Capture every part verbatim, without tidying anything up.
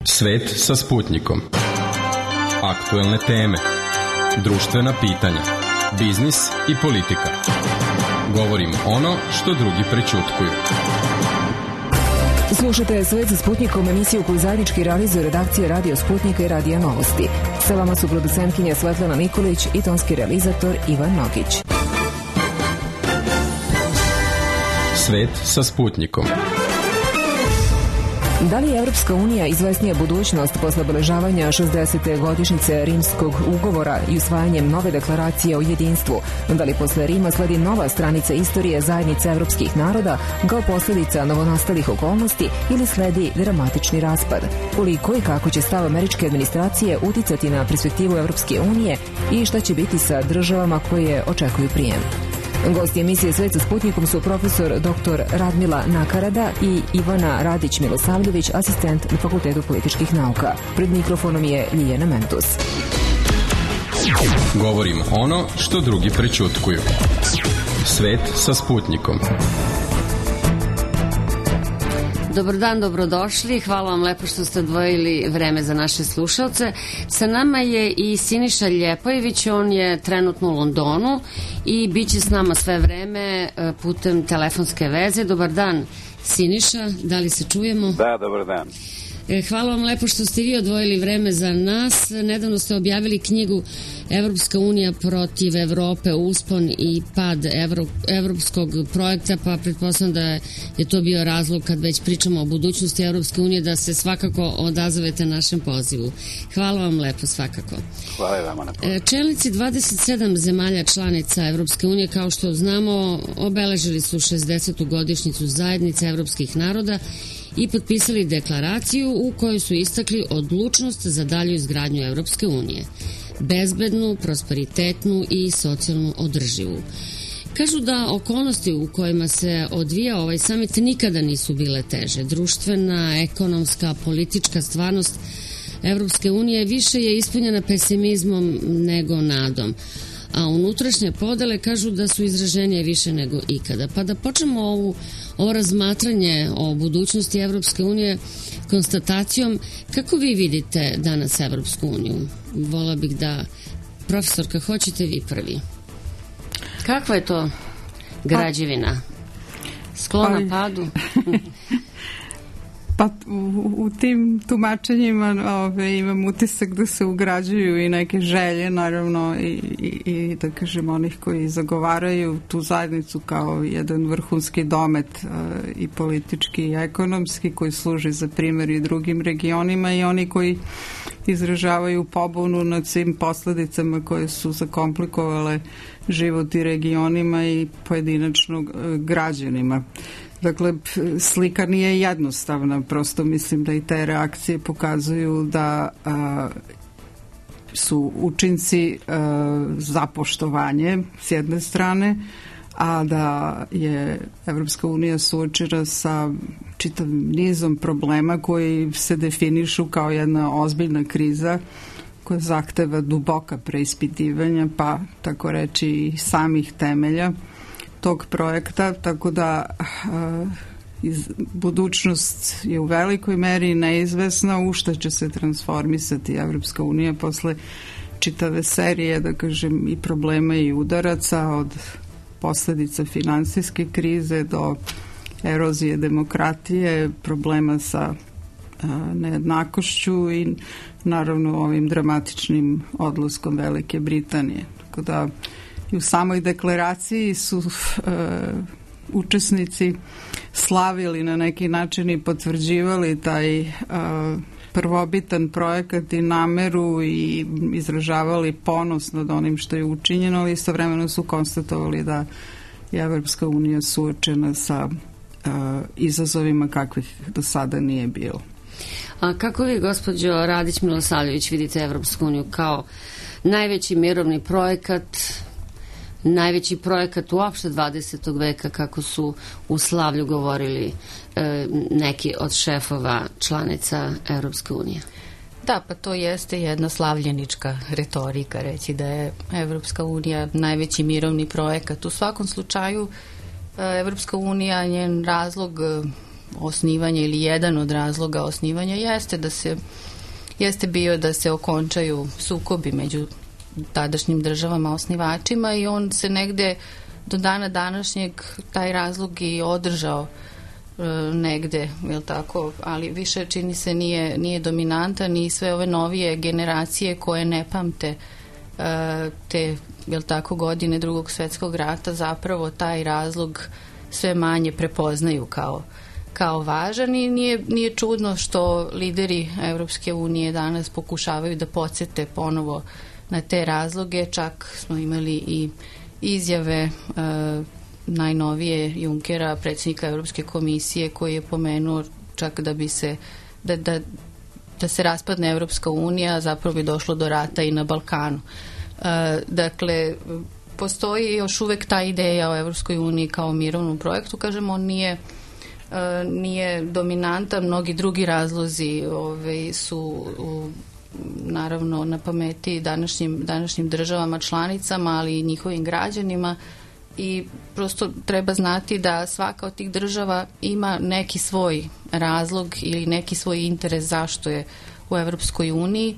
Svet sa Sputnikom. Aktuelne teme, društvena pitanja, biznis i politika. Govorim ono što drugi prećutkuju. Slušajte Svet sa Sputnikom, emisiju koju zajednički realizuje redakcija Radio Sputnika i Radija Novosti. Sa vama su producentkinja Svetlana Nikolić i tonski realizator Ivan Nogić. Svet sa Sputnikom. Da li je Evropska unija izvesnija budućnost posle obeležavanja šezdesete godišnjice Rimskog ugovora i usvajanjem nove deklaracije o jedinstvu? Da li posle Rima sledi nova stranica istorije zajednice evropskih naroda kao posljedica novonastalih okolnosti ili sledi dramatični raspad? Koliko i kako će stav američke administracije uticati na perspektivu Evropske unije i šta će biti sa državama koje očekuju prijem? Gosti emisije Svet sa Sputnikom su profesor doktor Radmila Nakarada i Ivana Radić-Milosavljević, asistent na Fakultetu političkih nauka. Pred mikrofonom je Ljiljana Mentus. Govorim ono što drugi prećutkuju. Svet sa Sputnikom. Dobar dan, dobrodošli. Hvala vam lepo što ste odvojili vreme za naše slušalce. Sa nama je i Siniša Ljepojević, on je trenutno u Londonu i bit će s nama sve vreme putem telefonske veze. Dobar dan, Siniša, da li se čujemo? Da, dobar dan. Hvala vam lepo što ste vi odvojili vreme za nas. Nedavno ste objavili knjigu Evropska unija protiv Evrope, uspon i pad Evro, evropskog projekta, pa pretpostavljam da je to bio razlog kad već pričamo o budućnosti Evropske unije da se svakako odazovete našem pozivu. Hvala vam lepo svakako. Hvala vama na pozivu. Čelnici dvadeset sedam zemalja članica Evropske unije, kao što znamo, obeležili su šezdesetu godišnjicu zajednice evropskih naroda i potpisali deklaraciju u kojoj su istakli odlučnost za dalju izgradnju Evropske unije. Bezbednu, prosperitetnu i socijalno održivu. Kažu da okolnosti u kojima se odvija ovaj samit nikada nisu bile teže. Društvena, ekonomska, politička stvarnost Evropske unije više je ispunjena pesimizmom nego nadom. A unutrašnje podele kažu da su izraženije više nego ikada. Pa da počnemo ovu, ovo razmatranje o budućnosti Evropske unije konstatacijom kako vi vidite danas Evropsku uniju. Vola bih da, profesorka, hoćete vi prvi. Kakva je to građevina? Sklona padu? Pa u, u tim tumačenjima ove, imam utisak da se ugrađuju i neke želje, naravno, i, i, i da kažem onih koji zagovaraju tu zajednicu kao jedan vrhunski domet e, i politički i ekonomski koji služi za primjer i drugim regionima i oni koji izražavaju pobunu nad svim posledicama koje su zakomplikovale život i regionima i pojedinačno e, građanima. Dakle, slika nije jednostavna, prosto mislim da i te reakcije pokazuju da a, su učinci a, za poštovanje s jedne strane, a da je Evropska unija suočena sa čitavim nizom problema koji se definišu kao jedna ozbiljna kriza koja zahteva duboka preispitivanja, pa tako reći i samih temelja tog projekta, tako da uh, iz, budućnost je u velikoj meri neizvesna u što će se transformisati Evropska unija posle čitave serije, da kažem, i problema i udaraca od posledica finansijske krize do erozije demokratije, problema sa uh, nejednakošću i naravno ovim dramatičnim odlaskom Velike Britanije. Tako da i u samoj deklaraciji su e, učesnici slavili na neki način i potvrđivali taj e, prvobitan projekat i nameru i izražavali ponos nad onim što je učinjeno, ali istovremeno su konstatovali da je Evropska unija suočena sa e, izazovima kakvih do sada nije bilo. A kako vi, gospođo Radić-Milosavljević, vidite Evropsku uniju kao najveći mirovni projekat, najveći projekat uopšte dvadesetog veka, kako su u slavlju govorili e, neki od šefova članica Evropske unije? Da, pa to jeste jedna slavljenička retorika, reći da je Evropska unija najveći mirovni projekat. U svakom slučaju, Evropska unija, njen razlog osnivanja ili jedan od razloga osnivanja jeste da se jeste bio da se okončaju sukobi među tadašnjim državama osnivačima i on se negde do dana današnjeg taj razlog i održao e, negde, jel tako, ali više čini se nije, nije dominantan i sve ove novije generacije koje ne pamte e, te, jel tako, godine Drugog svjetskog rata zapravo taj razlog sve manje prepoznaju kao kao važan i nije, nije čudno što lideri Evropske unije danas pokušavaju da podsjete ponovo na te razloge. Čak smo imali i izjave e, najnovije Junckera, predsjednika Evropske komisije, koji je pomenuo čak da bi se da, da, da se raspadne Evropska unija, zapravo bi došlo do rata i na Balkanu. E, dakle, postoji još uvek ta ideja o Evropskoj uniji kao mirovnom projektu, kažemo, on nije nije dominantan, mnogi drugi razlozi ove, su u, naravno na pameti današnjim, današnjim državama članicama, ali i njihovim građanima i prosto treba znati da svaka od tih država ima neki svoj razlog ili neki svoj interes zašto je u Evropskoj uniji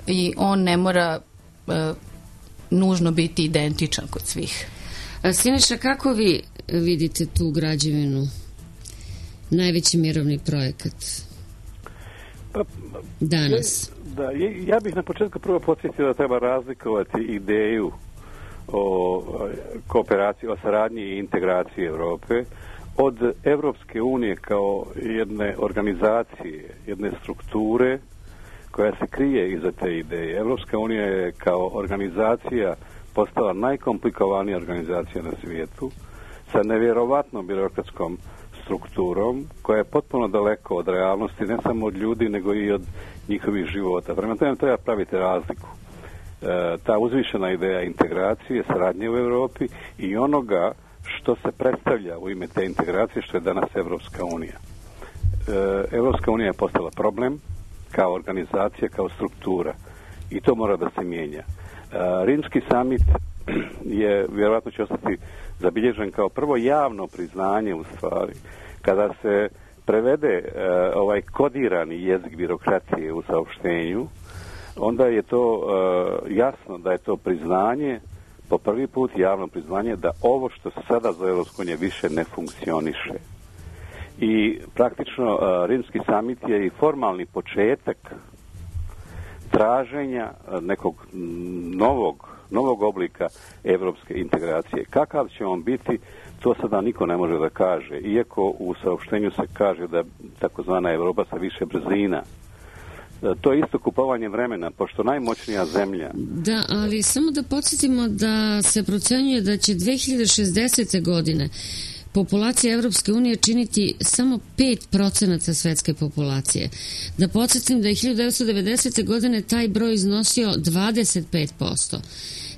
i on ne mora e, nužno biti identičan kod svih. Siniša, kako vi vidite tu građevinu? Najveći mirovni projekat pa, danas. Da, ja bih na početku prvo podsjetio da treba razlikovati ideju o kooperaciji, o saradnji i integraciji Europe od Evropske unije kao jedne organizacije, jedne strukture koja se krije iza te ideje. Evropska unija je kao organizacija postala najkomplikovanija organizacija na svijetu sa nevjerovatnom birokratskom strukturom koja je potpuno daleko od realnosti, ne samo od ljudi, nego i od njihovih života. Prema tome treba praviti razliku. E, ta uzvišena ideja integracije, saradnje u Europi i onoga što se predstavlja u ime te integracije, što je danas Evropska unija. E, Evropska unija je postala problem kao organizacija, kao struktura i to mora da se mijenja. E, Rimski samit je, vjerojatno će ostati zabilježen kao prvo javno priznanje u stvari, kada se prevede e, ovaj kodirani jezik birokratije u saopštenju, onda je to e, jasno da je to priznanje, po prvi put javno priznanje da ovo što se sada za Evropsku uniju više ne funkcioniše. I praktično e, Rimski samit je i formalni početak traženja nekog novog novog oblika evropske integracije. Kakav će on biti, to sada niko ne može da kaže. Iako u saopštenju se kaže da takozvana Evropa sa više brzina. To je isto kupovanje vremena, pošto najmoćnija zemlja... Da, ali samo da podsjetimo da se procenjuje da će dve hiljade šezdesete. godine populacija Evropske unije činiti samo pet procenata svetske populacije. Da podsjetim da je hiljadu devetsto devedesete. godine taj broj iznosio dvadeset pet posto.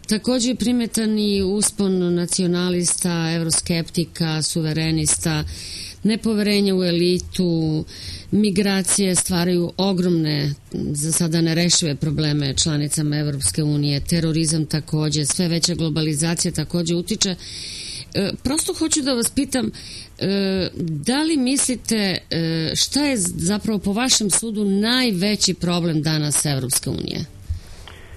Također je primetan i uspon nacionalista, evroskeptika, suverenista, nepoverenje u elitu, migracije stvaraju ogromne, za sada nerešive probleme članicama Evropske unije, terorizam također, sve veća globalizacija također utiče. E, prosto hoću da vas pitam, e, da li mislite e, šta je zapravo po vašem sudu najveći problem danas Evropske unije?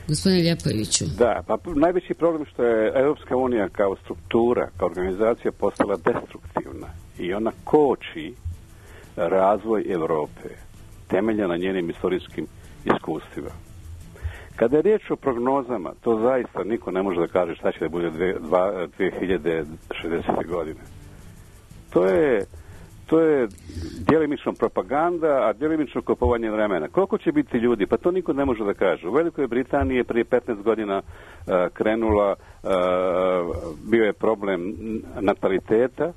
Gospodine Ljepojeviću. Da, pa najveći problem što je Evropska unija kao struktura, kao organizacija postala destruktivna i ona koči razvoj Evrope, temelja na njenim istorijskim iskustvima. Kada je riječ o prognozama, to zaista niko ne može da kaže šta će da bude dve hiljade šezdesete. godine. To je To je djelimično propaganda, a djelimično kupovanje vremena. Koliko će biti ljudi? Pa to niko ne može da kaže. U Velikoj Britaniji je prije petnaest godina uh, krenula, uh, bio je problem nataliteta,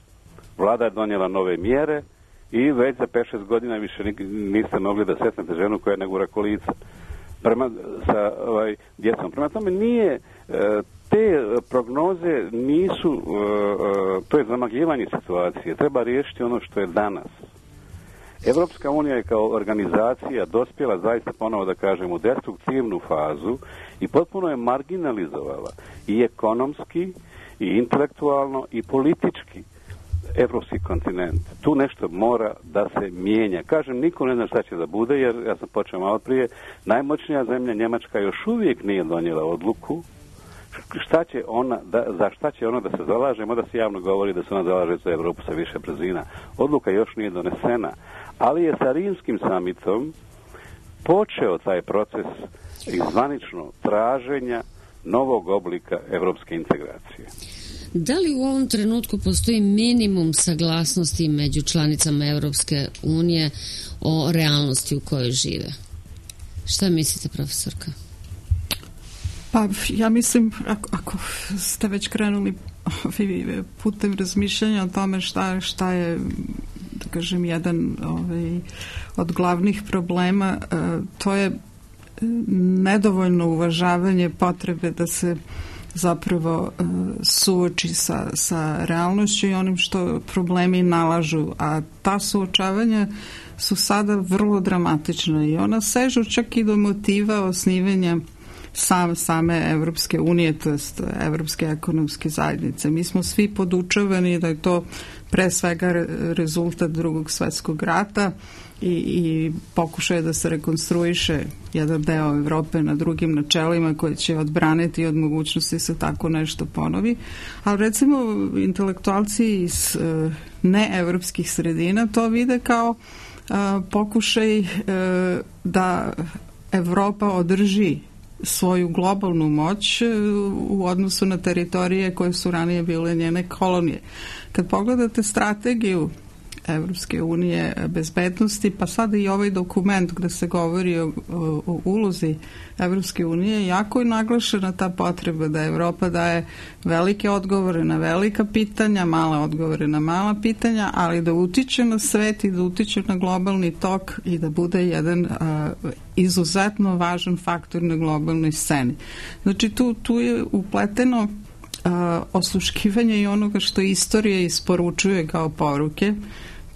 vlada je donijela nove mjere i već za pet šest godina više niste mogli da sretnete ženu koja ne gura kolica prema, sa ovaj, djecom. Prema tome nije... Uh, Te prognoze nisu, uh, uh, to je zamagljivanje situacije. Treba riješiti ono što je danas. Evropska unija je kao organizacija dospjela, zaista ponovo da kažem, u destruktivnu fazu i potpuno je marginalizovala i ekonomski, i intelektualno, i politički evropski kontinent. Tu nešto mora da se mijenja. Kažem, niko ne zna šta će da bude, jer ja sam počeo malo prije, najmoćnija zemlja Njemačka još uvijek nije donijela odluku šta će ona, da, za šta će ona da se zalaže, mada se javno govori da se ona zalaže za Evropu sa više brzina. Odluka još nije donesena, ali je sa rimskim samitom počeo taj proces izvanično traženja novog oblika evropske integracije. Da li u ovom trenutku postoji minimum saglasnosti među članicama Evropske unije o realnosti u kojoj žive? Šta mislite, profesorka? Pa ja mislim, ako, ako ste već krenuli putem razmišljanja o tome šta, šta je, da kažem, jedan ovaj, od glavnih problema, to je nedovoljno uvažavanje potrebe da se zapravo suoči sa, sa realnošću i onim što problemi nalažu, a ta suočavanja su sada vrlo dramatična i ona sežu čak i do motiva osnivanja Sam, same Evropske unije, to jest Evropske ekonomske zajednice. Mi smo svi podučavani da je to pre svega rezultat Drugog svetskog rata i, i pokušaje da se rekonstruiše jedan deo Evrope na drugim načelima koje će odbraniti od mogućnosti se tako nešto ponovi. Ali recimo intelektualci iz uh, neevropskih sredina to vide kao uh, pokušaj uh, da Evropa održi svoju globalnu moć u odnosu na teritorije koje su ranije bile njene kolonije. Kad pogledate strategiju Evropske unije bezbednosti, pa sada i ovaj dokument gde se govori o, o, o ulozi Evropske unije, jako je naglašena ta potreba da Evropa daje velike odgovore na velika pitanja, male odgovore na mala pitanja, ali da utiče na svet i da utiče na globalni tok i da bude jedan a, izuzetno važan faktor na globalnoj sceni. Znači tu, tu je upleteno a, osluškivanje i onoga što istorija isporučuje kao poruke,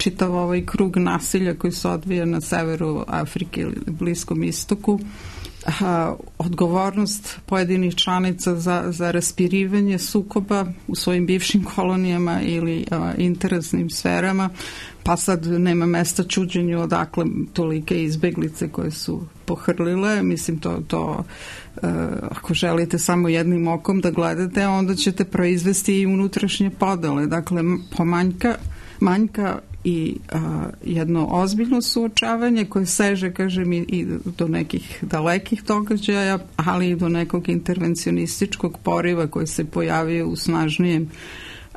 čitav ovaj krug nasilja koji se odvija na severu Afrike ili Bliskom istoku, a, odgovornost pojedinih članica za, za raspirivanje sukoba u svojim bivšim kolonijama ili a, interesnim sferama, pa sad nema mesta čuđenju odakle tolike izbeglice koje su pohrlile. Mislim, to, to uh, ako želite samo jednim okom da gledate, onda ćete proizvesti i unutrašnje podele. Dakle, pomanjka manjka i a, jedno ozbiljno suočavanje koje seže, kažem, i, i do nekih dalekih događaja, ali i do nekog intervencionističkog poriva koji se pojavio u snažnijem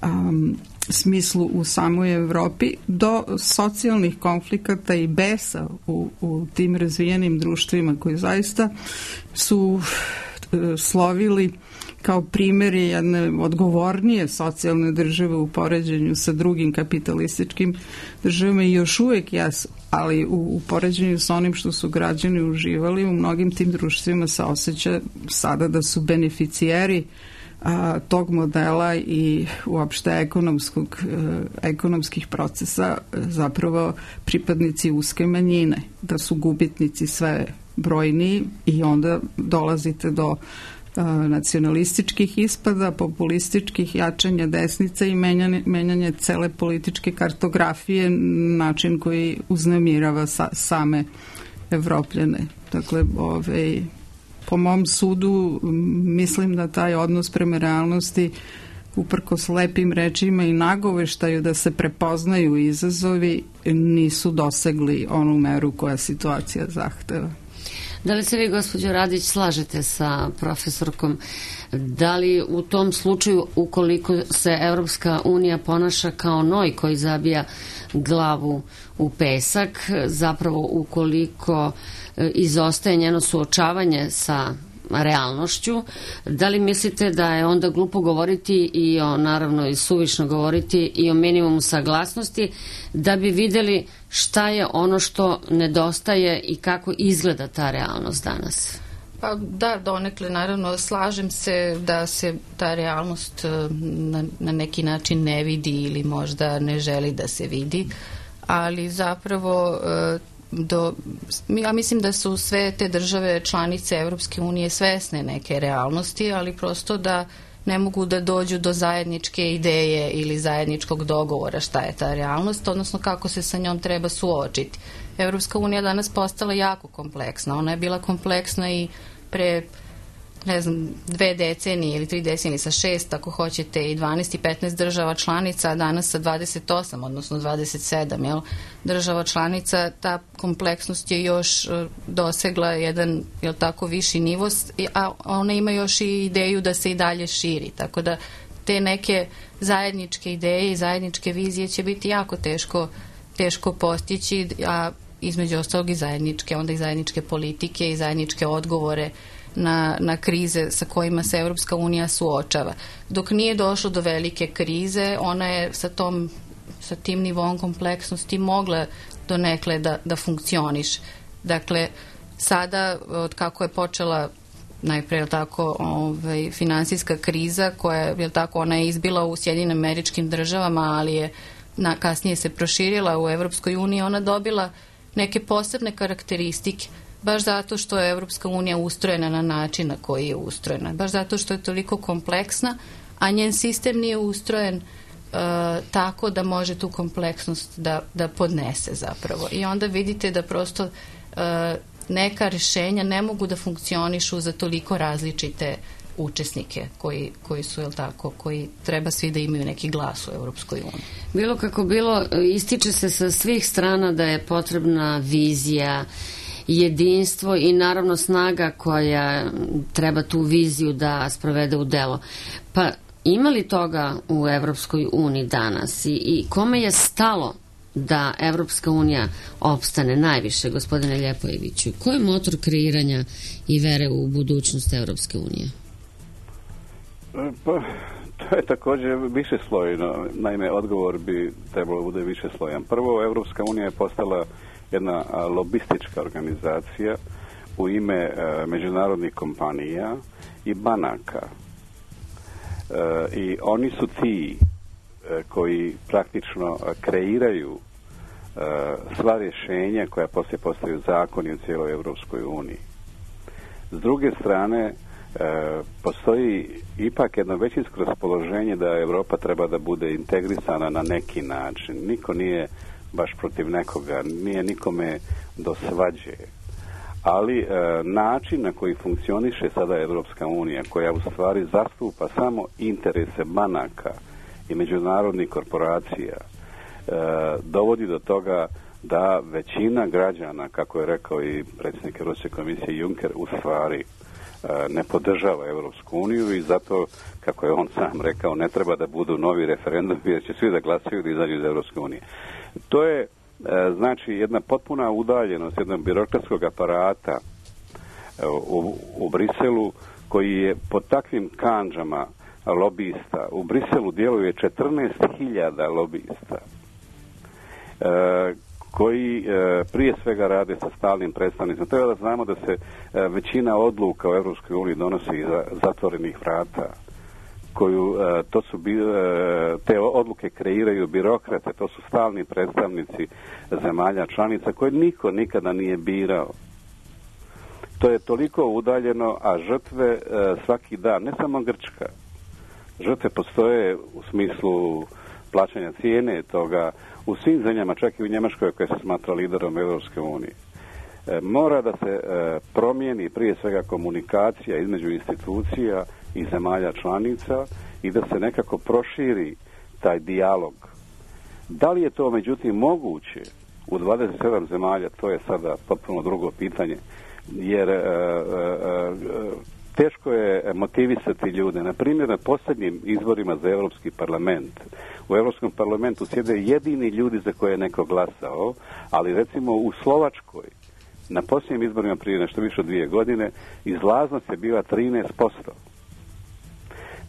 um, smislu u samoj Evropi, do socijalnih konflikata i besa u, u tim razvijenim društvima koji zaista su uh, slovili kao primjeri jedne odgovornije socijalne države u poređenju sa drugim kapitalističkim državama i još uvijek jesu, ali u, u poređenju sa onim što su građani uživali, u mnogim tim društvima se osjeća sada da su beneficijeri a, tog modela i uopšte ekonomskog, e, ekonomskih procesa zapravo pripadnici uske manjine, da su gubitnici sve brojniji i onda dolazite do nacionalističkih ispada, populističkih jačanja desnice i menjanje, menjanje cele političke kartografije, način koji uznemirava sa, same Evropljane. Dakle, ovaj, po mom sudu mislim da taj odnos prema realnosti uprkos lepim rečima i nagoveštaju da se prepoznaju izazovi nisu dosegli onu meru koja situacija zahteva. Da li se vi, gospođo Radić, slažete sa profesorkom? Da li u tom slučaju, ukoliko se Evropska unija ponaša kao noj koji zabija glavu u pesak, zapravo ukoliko izostaje njeno suočavanje sa realnošću, da li mislite da je onda glupo govoriti i o, naravno i suvišno govoriti i o minimumu saglasnosti, da bi videli šta je ono što nedostaje i kako izgleda ta realnost danas? Pa da, donekle, naravno, slažem se da se ta realnost na, na neki način ne vidi ili možda ne želi da se vidi, ali zapravo do, ja mislim da su sve te države članice Evropske unije svesne neke realnosti, ali prosto da ne mogu da dođu do zajedničke ideje ili zajedničkog dogovora šta je ta realnost, odnosno kako se sa njom treba suočiti. Evropska unija danas postala jako kompleksna. Ona je bila kompleksna i pre, ne znam, dve decenije ili tri decenije sa šest, ako hoćete, i dvanaest i petnaest država članica, a danas sa dvadeset osam, odnosno dvadeset sedam, jel, država članica, ta kompleksnost je još dosegla jedan, jel tako, viši nivo, a ona ima još i ideju da se i dalje širi, tako da te neke zajedničke ideje i zajedničke vizije će biti jako teško, teško postići, a između ostalog i zajedničke, onda i zajedničke politike i zajedničke odgovore na, na krize sa kojima se Evropska unija suočava. Dok nije došlo do velike krize, ona je sa, tom, sa tim nivom kompleksnosti mogla donekle da, da funkcioniše. Dakle, sada, od kako je počela najpre, je tako, ovaj, finansijska kriza, koja je tako, ona je izbila u Sjedinim Američkim Državama, ali je na, kasnije se proširila u Evropskoj uniji, ona dobila neke posebne karakteristike, baš zato što je Evropska unija ustrojena na način na koji je ustrojena, baš zato što je toliko kompleksna, a njen sistem nije ustrojen uh, tako da može tu kompleksnost da, da podnese zapravo. I onda vidite da prosto uh, neka rješenja ne mogu da funkcionišu za toliko različite učesnike koji, koji su, jel tako, koji treba svi da imaju neki glas u Evropskoj uniji. Bilo kako bilo, ističe se sa svih strana da je potrebna vizija, jedinstvo i naravno snaga koja treba tu viziju da sprovede u delo. Pa ima li toga u Evropskoj uniji danas i, i kome je stalo da Evropska unija opstane najviše, gospodine Ljepojeviću? Ko je motor kreiranja i vere u budućnost Evropske unije? Pa, to je također više slojno. Naime, odgovor bi trebalo bude više slojan. Prvo, Evropska unija je postala jedna lobistička organizacija u ime e, međunarodnih kompanija i banaka. E, I oni su ti e, koji praktično kreiraju e, sva rješenja koja poslije postaju zakoni u cijeloj Evropskoj uniji. S druge strane, E, postoji ipak jedno većinsko raspoloženje da Europa treba da bude integrisana na neki način. Niko nije baš protiv nekoga, nije nikome do svađe. Ali e, način na koji funkcioniše sada Evropska unija, koja u stvari zastupa samo interese banaka i međunarodnih korporacija, e, dovodi do toga da većina građana, kako je rekao i predsjednik Europske komisije Juncker, u stvari ne podržava Evropsku uniju i zato, kako je on sam rekao, ne treba da budu novi referendum jer će svi da glasaju da izađu iz Evropske unije. To je, znači, jedna potpuna udaljenost jednog birokratskog aparata u, u Briselu, koji je pod takvim kandžama lobista. U Briselu djeluje četrnaest hiljada lobista, koji e, prije svega rade sa stalnim predstavnicima. Treba da znamo da se e, većina odluka u Evropskoj uniji donosi iza zatvorenih vrata, koju e, to su bi, e, te odluke kreiraju birokrate, to su stalni predstavnici zemalja članica koje niko nikada nije birao. To je toliko udaljeno, a žrtve e, svaki dan, ne samo Grčka, žrtve postoje u smislu plaćanja cijene toga u svim zemljama, čak i u Njemačkoj koja se smatra liderom Evropske unije. E, mora da se e, promijeni prije svega komunikacija između institucija i zemalja članica i da se nekako proširi taj dijalog. Da li je to međutim moguće u dvadeset sedam zemalja, to je sada potpuno drugo pitanje, jer e, e, teško je motivisati ljude. Na primjer, na posljednjim izborima za Europski parlament, u Europskom parlamentu sjede jedini ljudi za koje je neko glasao, ali recimo u Slovačkoj, na posljednjim izborima prije nešto više od dvije godine, izlaznost je bila trinaest posto.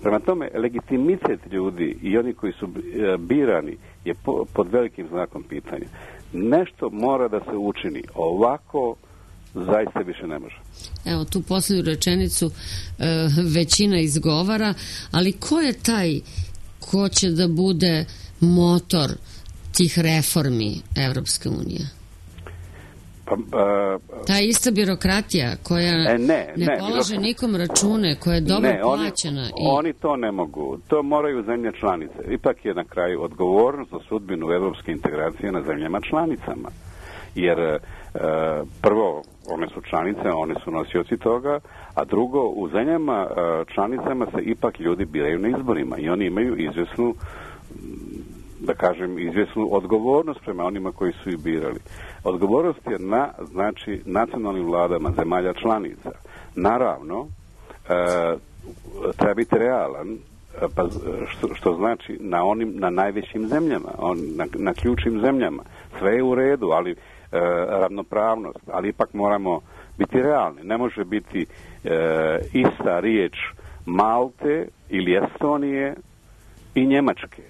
Prema tome, legitimitet ljudi i oni koji su birani je pod velikim znakom pitanja. Nešto mora da se učini. Ovako zaista više ne može. Evo, tu posljednju rečenicu e, većina izgovara, ali ko je taj ko će da bude motor tih reformi Evropske unije? Pa, uh, Ta ista birokratija koja e, ne, ne, ne polaže birok... nikom račune, koja je dobro ne, oni, plaćena. I... Oni to ne mogu. To moraju zemlje članice. Ipak je na kraju odgovornost za sudbinu evropske integracije na zemljama članicama. Jer uh, prvo, one su članice, one su nosioci toga, a drugo, u zemljama uh, članicama se ipak ljudi biraju na izborima i oni imaju izvjesnu, da kažem, izvjesnu odgovornost prema onima koji su ih birali. Odgovornost je na, znači, nacionalnim vladama zemalja članica. Naravno, e, treba biti realan, pa što, što znači na onim, na najvećim zemljama, on, na, na ključnim zemljama. Sve je u redu, ali e, ravnopravnost, ali ipak moramo biti realni. Ne može biti e, ista riječ Malte ili Estonije i Njemačke.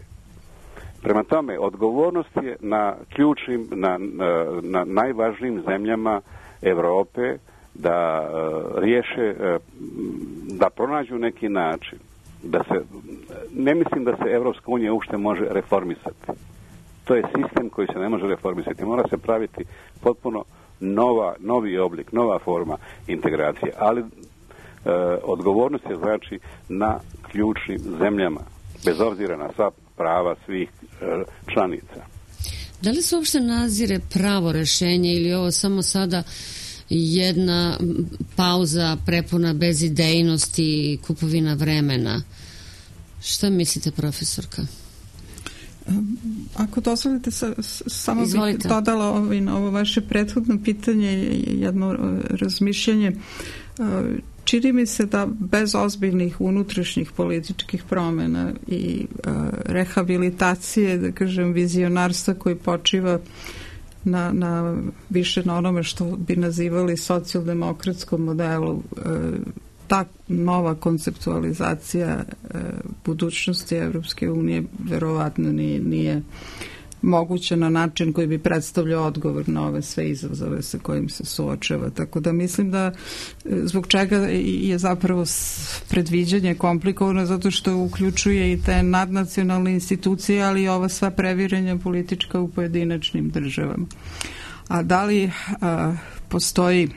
Prema tome, odgovornost je na ključnim, na, na, na najvažnijim zemljama Europe da uh, riješe, uh, da pronađu neki način. Da se, ne mislim da se Evropska unija uopšte može reformisati. To je sistem koji se ne može reformisati. Mora se praviti potpuno nova, novi oblik, nova forma integracije. Ali uh, odgovornost je znači na ključnim zemljama, bez obzira na sva prava svih članica. Da li se uopšte nazire pravo rešenje ili ovo samo sada jedna pauza prepuna bezidejnosti i kupovina vremena? Šta mislite, profesorka? Ako dozvolite, sa, samo Izvolite. bih dodala ovo, ovo vaše prethodno pitanje, jedno razmišljanje. Čini mi se da bez ozbiljnih unutrašnjih političkih promjena i uh, rehabilitacije, da kažem, vizionarstva koji počiva na, na više na onome što bi nazivali socijaldemokratskom modelu, uh, ta nova konceptualizacija uh, budućnosti Evropske unije verovatno nije, nije moguće na način koji bi predstavljao odgovor na ove sve izazove sa kojim se suočava. Tako da mislim da zbog čega je zapravo predviđanje komplikovano, zato što uključuje i te nadnacionalne institucije, ali i ova sva previranja politička u pojedinačnim državama. A da li a, postoji,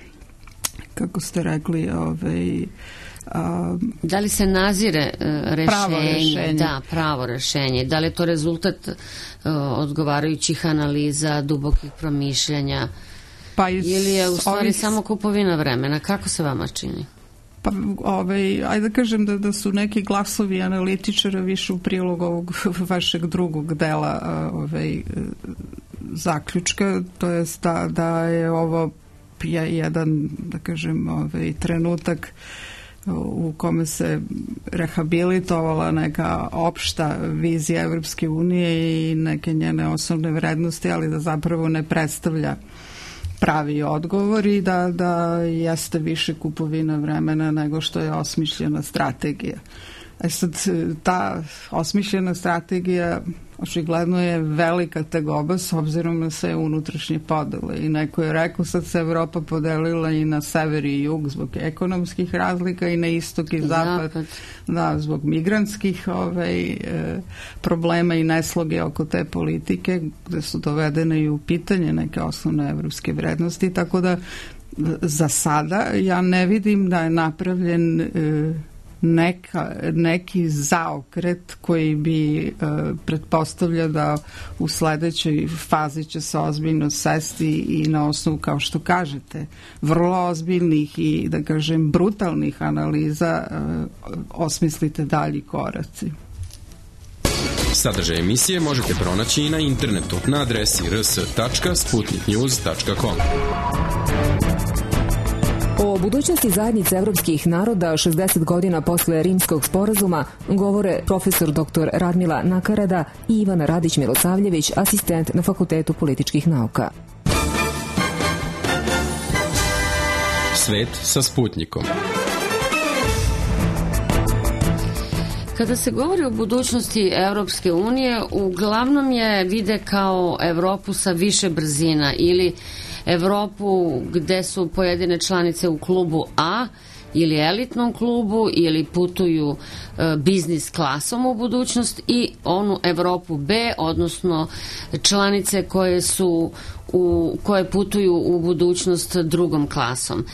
kako ste rekli, ovaj, Um, da li se nazire uh, rešenje, pravo rešenje? Da, pravo rešenje. Da li je to rezultat uh, odgovarajućih analiza, dubokih promišljanja? Pa iz ili je u stvari ovih... samo kupovina vremena? Kako se vama čini? Pa, ovaj, ajde da kažem da, da su neki glasovi analitičara više u prilog ovog vašeg drugog dela ovaj, zaključka, to je da, da je ovo jedan, da kažem, ovaj, trenutak u kome se rehabilitovala neka opšta vizija Evropske unije i neke njene osnovne vrednosti, ali da zapravo ne predstavlja pravi odgovor i da, da jeste više kupovina vremena nego što je osmišljena strategija. E sad, ta osmišljena strategija očigledno je velika tegoba s obzirom na sve unutrašnje podele. I neko je rekao, sad se Evropa podelila i na sever i jug zbog ekonomskih razlika i na istok i zapad, zapad. Da, zbog migrantskih ovaj, e, problema i nesloge oko te politike, gde su dovedene i u pitanje neke osnovne evropske vrednosti. Tako da za sada ja ne vidim da je napravljen e, Neka, neki zaokret koji bi e, pretpostavlja da u sledećoj fazi će se ozbiljno sesti i na osnovu, kao što kažete, vrlo ozbiljnih i, da kažem, brutalnih analiza e, osmislite dalji koraci. Sadržaj emisije možete pronaći i na internetu na adresi r s tačka sputnik news tačka com. O budućnosti zajednice evropskih naroda šezdeset godina posle Rimskog sporazuma govore profesor doktor Radmila Nakarada i Ivana Radić-Milosavljević, asistent na Fakultetu političkih nauka. Svet sa Sputnikom. Kada se govori o budućnosti Evropske unije, uglavnom je vide kao Evropu sa više brzina ili Evropu gde su pojedine članice u klubu A ili elitnom klubu ili putuju e, biznis klasom u budućnost i onu Evropu B, odnosno članice koje su u, koje putuju u budućnost drugom klasom.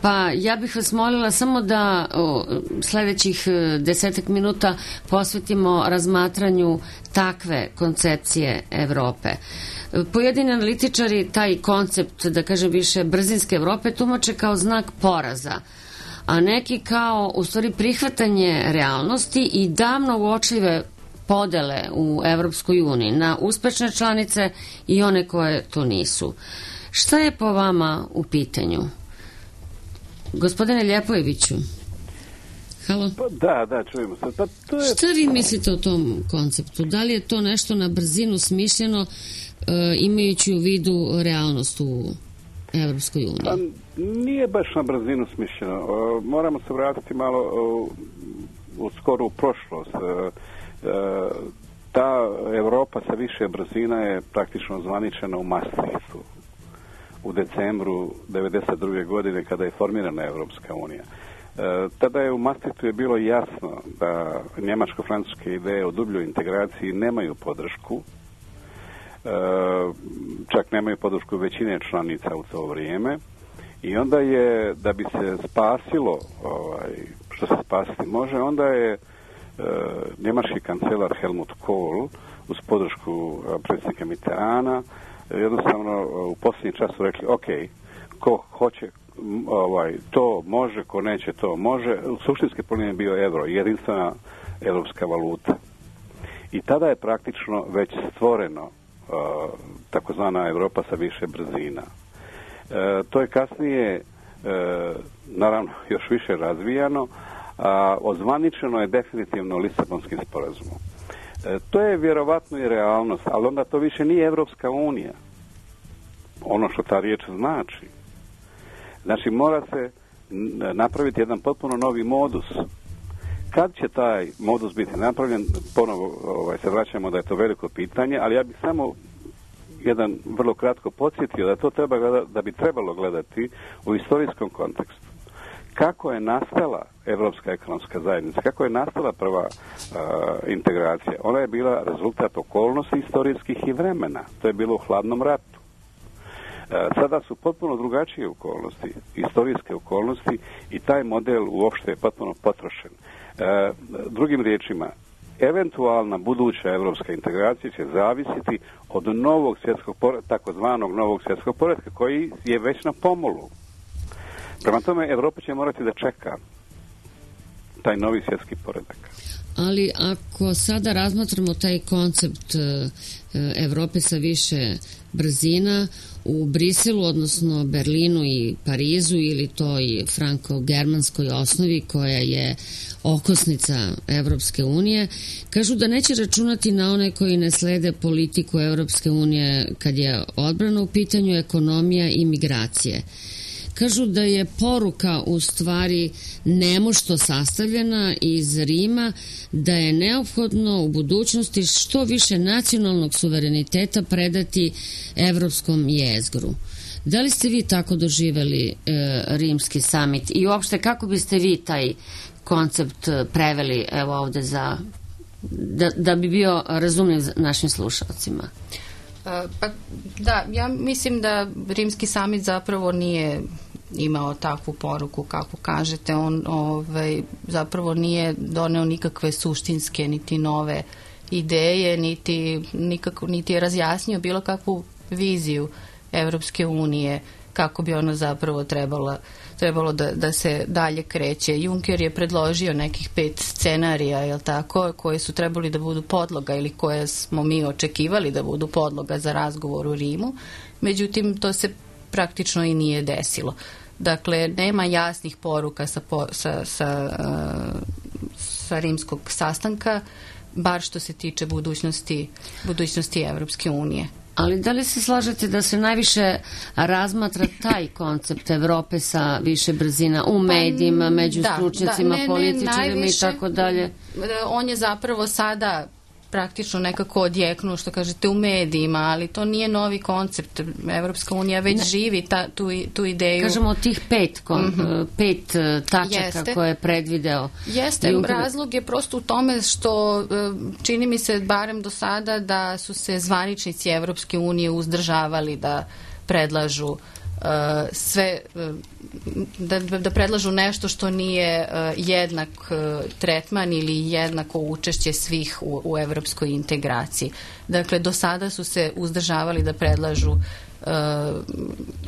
Pa ja bih vas molila samo da o, sledećih desetak minuta posvetimo razmatranju takve koncepcije Evrope. Pojedini analitičari taj koncept, da kažem više, brzinske Evrope tumače kao znak poraza, a neki kao u stvari prihvatanje realnosti i davno uočljive podele u Evropskoj uniji na uspešne članice i one koje to nisu. Šta je po vama u pitanju? Gospodine Ljepojeviću, halo? Pa da, da, čujemo se. Pa to je... Šta vi mislite o tom konceptu? Da li je to nešto na brzinu smišljeno, e, imajući u vidu realnost u Evropskoj uniji? Pa nije baš na brzinu smišljeno. E, moramo se vratiti malo u, u skoru prošlost. E, e, ta Evropa sa više brzina je praktično zvaničena u Maastrichtu u decembru devedeset druge godine kada je formirana Evropska unija. E, tada je u Maastrichtu je bilo jasno da njemačko-francuske ideje o dubljoj integraciji nemaju podršku, e, čak nemaju podršku većine članica u to vrijeme, i onda je, da bi se spasilo ovaj, što se spasiti može, onda je e, njemački kancelar Helmut Kohl uz podršku predsjednika Mitterranda jednostavno u posljednji čas su rekli, ok, ko hoće ovaj, to može, ko neće to može. Suštinski problem je bio euro, jedinstvena evropska valuta. I tada je praktično već stvoreno uh, takozvana Evropa sa više brzina. Uh, to je kasnije uh, naravno još više razvijano, a ozvaničeno je definitivno Lisabonskim sporazumom. To je vjerovatno i realnost, ali onda to više nije Evropska unija. Ono što ta riječ znači. Znači, mora se napraviti jedan potpuno novi modus. Kad će taj modus biti napravljen, ponovo ovaj, se vraćamo da je to veliko pitanje, ali ja bih samo jedan vrlo kratko podsjetio da to treba gledati, da bi trebalo gledati u istorijskom kontekstu. Kako je nastala Evropska ekonomska zajednica, kako je nastala prva uh, integracija? Ona je bila rezultat okolnosti istorijskih i vremena. To je bilo u hladnom ratu. Uh, sada su potpuno drugačije okolnosti, istorijske okolnosti, i taj model uopšte je potpuno potrošen. Uh, drugim riječima, eventualna buduća evropska integracija će zavisiti od novog svjetskog poretka, takozvanog novog svjetskog poretka, koji je već na pomolu. Prema tome, Evropa će morati da čeka taj novi svjetski poredak. Ali ako sada razmatramo taj koncept Evrope sa više brzina, u Briselu, odnosno Berlinu i Parizu, ili toj franko-germanskoj osnovi koja je okosnica Evropske unije, kažu da neće računati na one koji ne slede politiku Evropske unije kad je odbrana u pitanju, ekonomija i migracije. Kažu da je poruka u stvari nemošto sastavljena iz Rima, da je neophodno u budućnosti što više nacionalnog suvereniteta predati evropskom jezgru. Da li ste vi tako doživeli e, rimski samit i uopšte kako biste vi taj koncept preveli evo ovde za, da, da bi bio razumljiv našim slušalcima? Pa da, ja mislim da rimski samit zapravo nije imao takvu poruku kako kažete. On ovaj, zapravo nije doneo nikakve suštinske niti nove ideje, niti, nikako, niti je razjasnio bilo kakvu viziju Evropske unije, kako bi ona zapravo trebala, trebalo da, da se dalje kreće. Juncker je predložio nekih pet scenarija, jel tako, koje su trebali da budu podloga ili koje smo mi očekivali da budu podloga za razgovor u Rimu. Međutim, to se praktično i nije desilo. Dakle, nema jasnih poruka sa, sa, sa, sa rimskog sastanka, bar što se tiče budućnosti, budućnosti Evropske unije. Ali da li se slažete da se najviše razmatra taj koncept Evrope sa više brzina u medijima, među da, stručnjacima, da, ne, političarima i tako dalje? On je zapravo sada praktično nekako odjeknuo, što kažete, u medijima, ali to nije novi koncept. Evropska unija već ne. živi ta, tu, tu ideju. Kažemo od tih pet, kon, mm-hmm. pet tačaka Jeste. koje je predvideo. Jeste, Juncker. Razlog je prosto u tome što čini mi se, barem do sada, da su se zvaničnici Evropske unije uzdržavali da predlažu uh, sve, uh, da, da predlažu nešto što nije uh, jednak uh, tretman ili jednako učešće svih u, u evropskoj integraciji. Dakle, do sada su se uzdržavali da predlažu uh,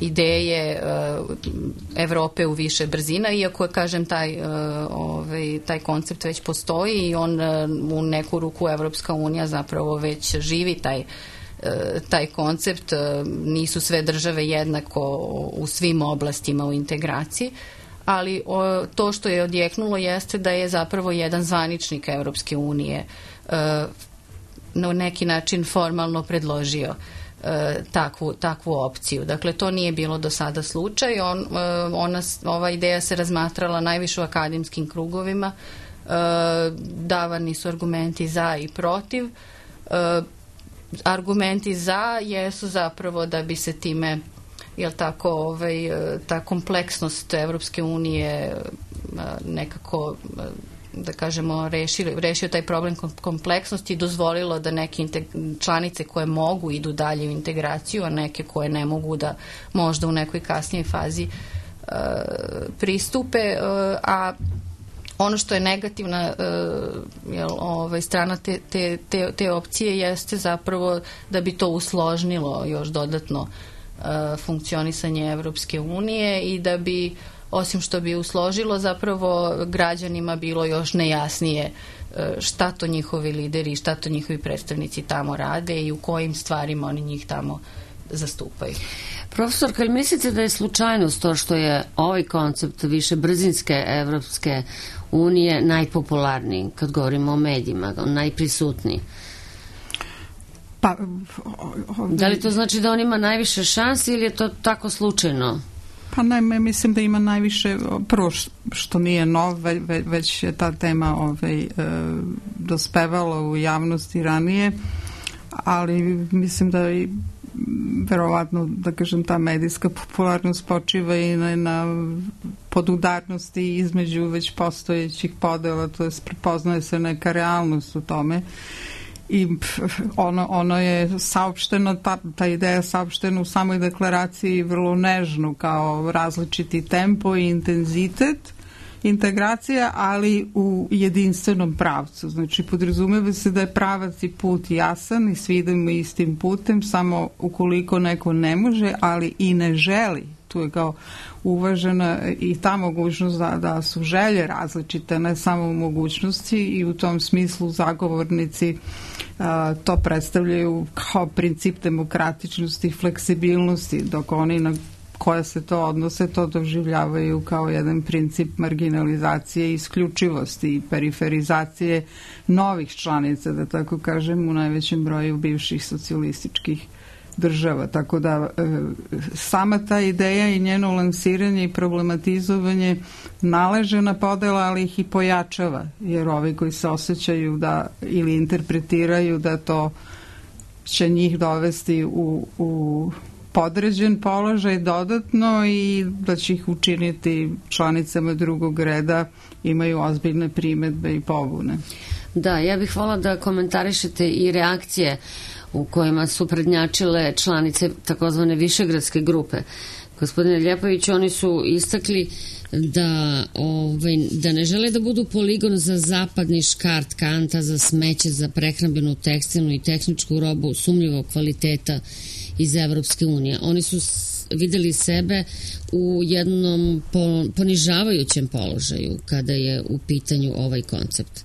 ideje uh, Evrope u više brzina, iako je, kažem, taj, uh, ovaj, taj koncept već postoji i on uh, u neku ruku Evropska unija zapravo već živi taj taj koncept. Nisu sve države jednako u svim oblastima u integraciji, ali to što je odjeknulo jeste da je zapravo jedan zvaničnik Evropske unije na neki način formalno predložio takvu, takvu opciju. Dakle, to nije bilo do sada slučaj. On, ona, ova ideja se razmatrala najviše u akademskim krugovima. Davani su argumenti za i protiv. Argumenti za jesu zapravo da bi se time, jel tako, ovaj, ta kompleksnost Evropske unije nekako, da kažemo, rešio, rešio taj problem kompleksnosti i dozvolilo da neke članice koje mogu idu dalje u integraciju, a neke koje ne mogu da možda u nekoj kasnijoj fazi uh, pristupe, uh, a ono što je negativna uh, jel, ovaj, strana te, te, te, te opcije jeste zapravo da bi to usložnilo još dodatno uh, funkcionisanje Evropske unije i da bi, osim što bi usložilo, zapravo građanima bilo još nejasnije uh, šta to njihovi lideri, šta to njihovi predstavnici tamo rade i u kojim stvarima oni njih tamo zastupaju. Profesor, kad mislite da je slučajnost to što je ovaj koncept više brzinske Evropske unije najpopularniji, kad govorimo o medijima, najprisutniji? Pa, ovdje... Da li to znači da on ima najviše šansi ili je to tako slučajno? Pa ne, mislim da ima najviše, prvo što nije nov, već je ta tema ovaj, e, dospevala u javnosti ranije, ali mislim da i verovatno, da kažem, ta medijska popularnost počiva i na, na podudarnosti između već postojećih podela, to je prepoznaje se neka realnost u tome i ono, ono je saopšteno, ta, ta ideja saopštena u samoj deklaraciji vrlo nežno, kao različiti tempo i intenzitet integracija, ali u jedinstvenom pravcu. Znači, podrazumeva se da je pravac i put jasan i svi idemo istim putem, samo ukoliko neko ne može, ali i ne želi. Tu je kao uvažena i ta mogućnost da, da su želje različite, ne samo mogućnosti, i u tom smislu zagovornici a, to predstavljaju kao princip demokratičnosti i fleksibilnosti, dok oni na koje se to odnose, to doživljavaju kao jedan princip marginalizacije i isključivosti i periferizacije novih članica, da tako kažem, u najvećem broju bivših socijalističkih država. Tako da e, sama ta ideja i njeno lansiranje i problematizovanje naleže na podela, ali ih i pojačava, jer ovi koji se osjećaju da ili interpretiraju da to će njih dovesti u, u podređen položaj dodatno i da će ih učiniti članicama drugog reda, imaju ozbiljne primedbe i pobune. Da, ja bih vola da komentarišete i reakcije u kojima su prednjačile članice takozvane Višegradske grupe. Gospodine Ljepović, oni su istakli da, ovaj, da ne žele da budu poligon za zapadni škart kanta, za smeće, za prehrambenu, tekstilnu i tehničku robu sumnjivog kvaliteta iz Evropske unije. Oni su videli sebe u jednom ponižavajućem položaju kada je u pitanju ovaj koncept.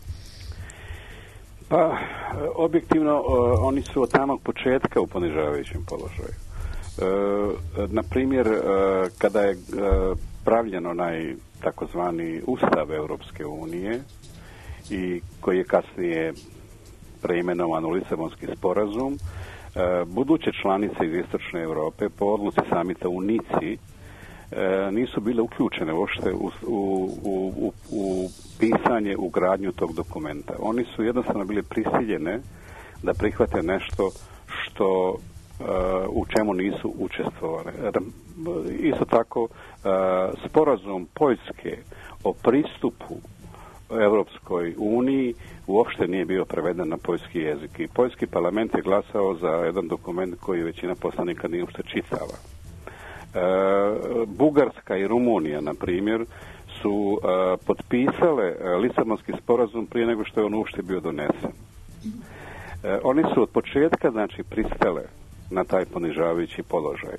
Pa, objektivno, oni su od samog početka u ponižavajućem položaju. E, na primjer, kada je pravljen onaj takozvani Ustav Evropske unije i koji je kasnije preimenovan u Lisabonski sporazum, buduće članice iz Istočne Europe po odluci samita u Nici nisu bile uključene uopšte u, u, u, u pisanje, u gradnju tog dokumenta. Oni su jednostavno bili prisiljene da prihvate nešto što u čemu nisu učestvovali. Isto tako, sporazum Poljske o pristupu Evropskoj uniji uopšte nije bio preveden na poljski jezik i poljski parlament je glasao za jedan dokument koji većina poslanika nije uopšte čitala. Bugarska i Rumunija, na primjer, su potpisale Lisabonski sporazum prije nego što je on uopšte bio donesen. Oni su od početka, znači, pristale na taj ponižavajući položaj.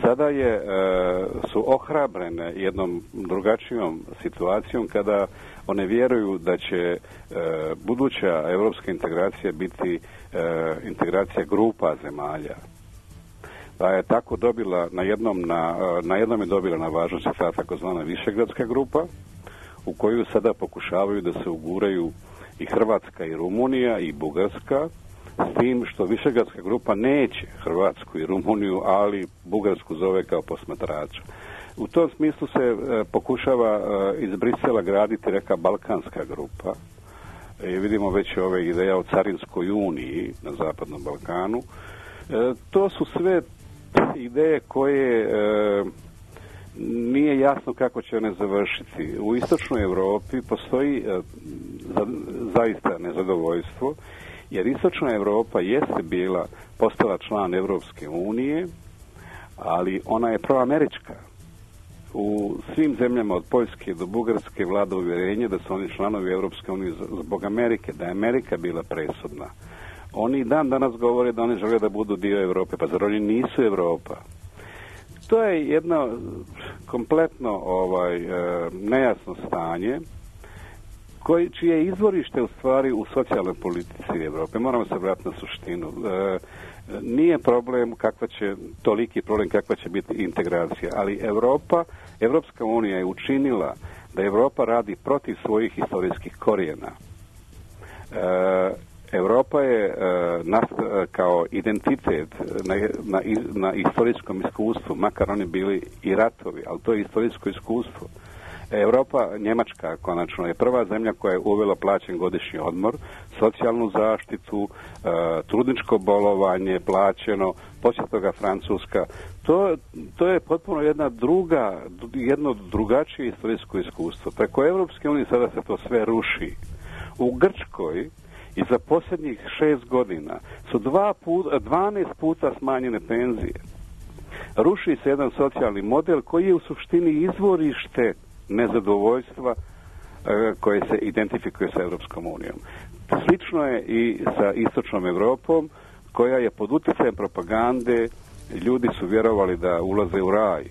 Sada je, su ohrabrene jednom drugačijom situacijom kada one vjeruju da će buduća evropska integracija biti integracija grupa zemalja. Pa je tako dobila na jednom, na, na jednom je dobila na važnosti ta takozvana Višegradska grupa, u koju sada pokušavaju da se uguraju i Hrvatska i Rumunija i Bugarska, s tim što Višegradska grupa neće Hrvatsku i Rumuniju, ali Bugarsku zove kao posmatrača. U tom smislu se e, pokušava e, iz Brisela graditi neka balkanska grupa. I vidimo već ove ideje o carinskoj uniji na Zapadnom Balkanu. E, to su sve ideje koje e, nije jasno kako će one završiti. U istočnoj Europi postoji e, za, zaista nezadovoljstvo, jer istočna Europa jeste bila, postala član Evropske unije, ali ona je proamerička. U svim zemljama od Poljske do Bugarske vlada uvjerenje da su oni članovi Evropske unije zbog Amerike, da je Amerika bila presudna. Oni dan danas govore da oni žele da budu dio Europe, pa zar oni nisu Europa? To je jedno kompletno ovaj, e, nejasno stanje, koji, čije izvorište u stvari u socijalnoj politici Evrope. Moramo se vratiti na suštinu. E, nije problem kakva će, toliki problem kakva će biti integracija, ali Europa, Evropska unija je učinila da Europa radi protiv svojih historijskih korijena. E, Europa je e, nast, e, kao identitet na, na, na istorijskom iskustvu, makar oni bili i ratovi, ali to je istorijsko iskustvo. Europa, Njemačka konačno je prva zemlja koja je uvela plaćen godišnji odmor, socijalnu zaštitu, e, trudničko bolovanje plaćeno, poslije toga Francuska. To, to je potpuno jedna druga, jedno drugačije istorijsko iskustvo. Preko Evropske unije sada se to sve ruši. U Grčkoj i za posljednjih šest godina su dva put, dvanaest puta smanjene penzije. Ruši se jedan socijalni model koji je u suštini izvorište nezadovoljstva e, koje se identifikuje sa Evropskom unijom. Slično je i sa istočnom Evropom, koja je pod utjecajem propagande, ljudi su vjerovali da ulaze u raj.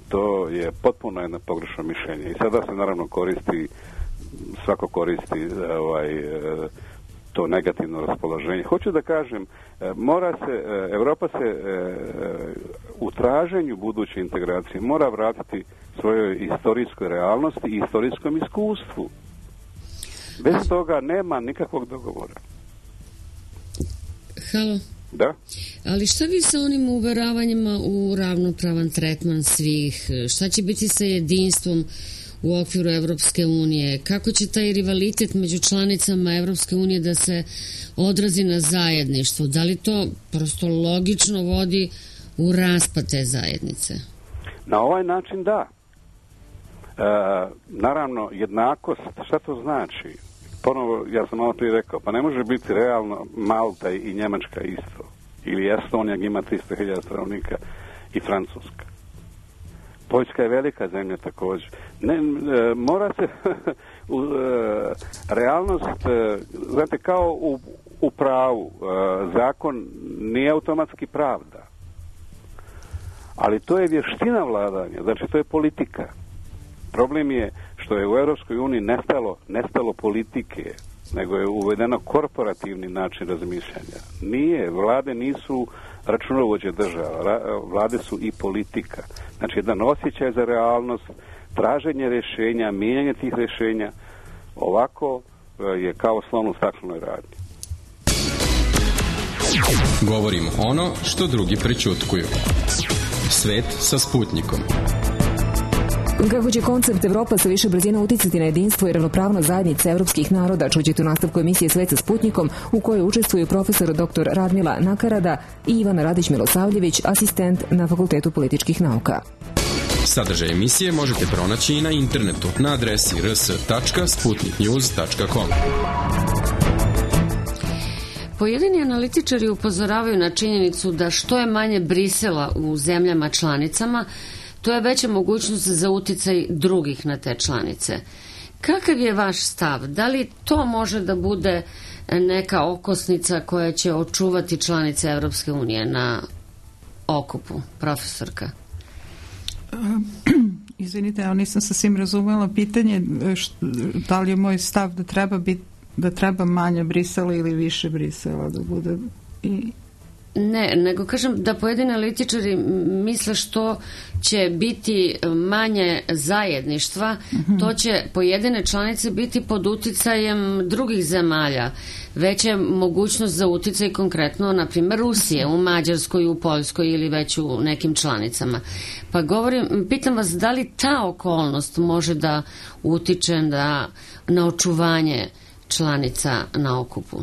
To je potpuno jedno pogrešno mišljenje. I sada se naravno koristi, svako koristi ovaj, e, to negativno raspoloženje. Hoću da kažem, mora se, Evropa se u traženju buduće integracije mora vratiti svojoj istorijskoj realnosti i istorijskom iskustvu. Bez toga nema nikakvog dogovora. Halo. Da? Ali šta vi sa onim uveravanjima u ravnopravan tretman svih? Šta će biti sa jedinstvom u okviru Evropske unije? Kako će taj rivalitet među članicama Evropske unije da se odrazi na zajedništvo? Da li to prosto logično vodi u raspad te zajednice? Na ovaj način da. E, naravno, jednakost, šta to znači? Ponovo, ja sam malo prije rekao, pa ne može biti realno Malta i Njemačka isto. Ili Estonija ima tristo hiljada stanovnika i Francuska. Poljska je velika zemlja također. Ne, e, mora se u, e, realnost, e, znate, kao u, u pravu, e, zakon nije automatski pravda. Ali to je vještina vladanja, znači to je politika. Problem je što je u Europskoj uniji nestalo, nestalo politike, nego je uvedeno korporativni način razmišljanja. Nije, vlade nisu računovođe država, vlade su i politika. Znači jedan osjećaj za realnost, traženje rješenja, mijenjanje tih rješenja, ovako je kao slon u staklenoj radnji. Govorimo ono što drugi prećutkuju. Svet sa Sputnikom. Kako će koncept Evropa sa više brzina uticati na jedinstvo i ravnopravnost zajednice evropskih naroda, čućete u nastavku emisije Svet sa Sputnikom, u kojoj učestvuju profesor doktor Radmila Nakarada i Ivana Radić-Milosavljević, asistent na Fakultetu političkih nauka. Sadržaj emisije možete pronaći i na internetu na adresi r s tačka sputnik news tačka com. Pojedini analitičari upozoravaju na činjenicu da što je manje Brisela u zemljama članicama, to je veća mogućnost za uticaj drugih na te članice. Kakav je vaš stav? Da li to može da bude neka okosnica koja će očuvati članice Evropske unije na okupu, profesorka? Izvinite, ja nisam sasvim razumela pitanje da li je moj stav da treba biti da treba manje Brisela ili više Brisela da bude i... Ne, nego kažem da pojedini analitičari misle što će biti manje zajedništva, uh-huh. to će pojedine članice biti pod uticajem drugih zemalja. Već je mogućnost za uticaj konkretno, na primjer, Rusije, u Mađarskoj, u Poljskoj ili već u nekim članicama. Pa govorim, pitam vas da li ta okolnost može da utiče da, na očuvanje članica na okupu?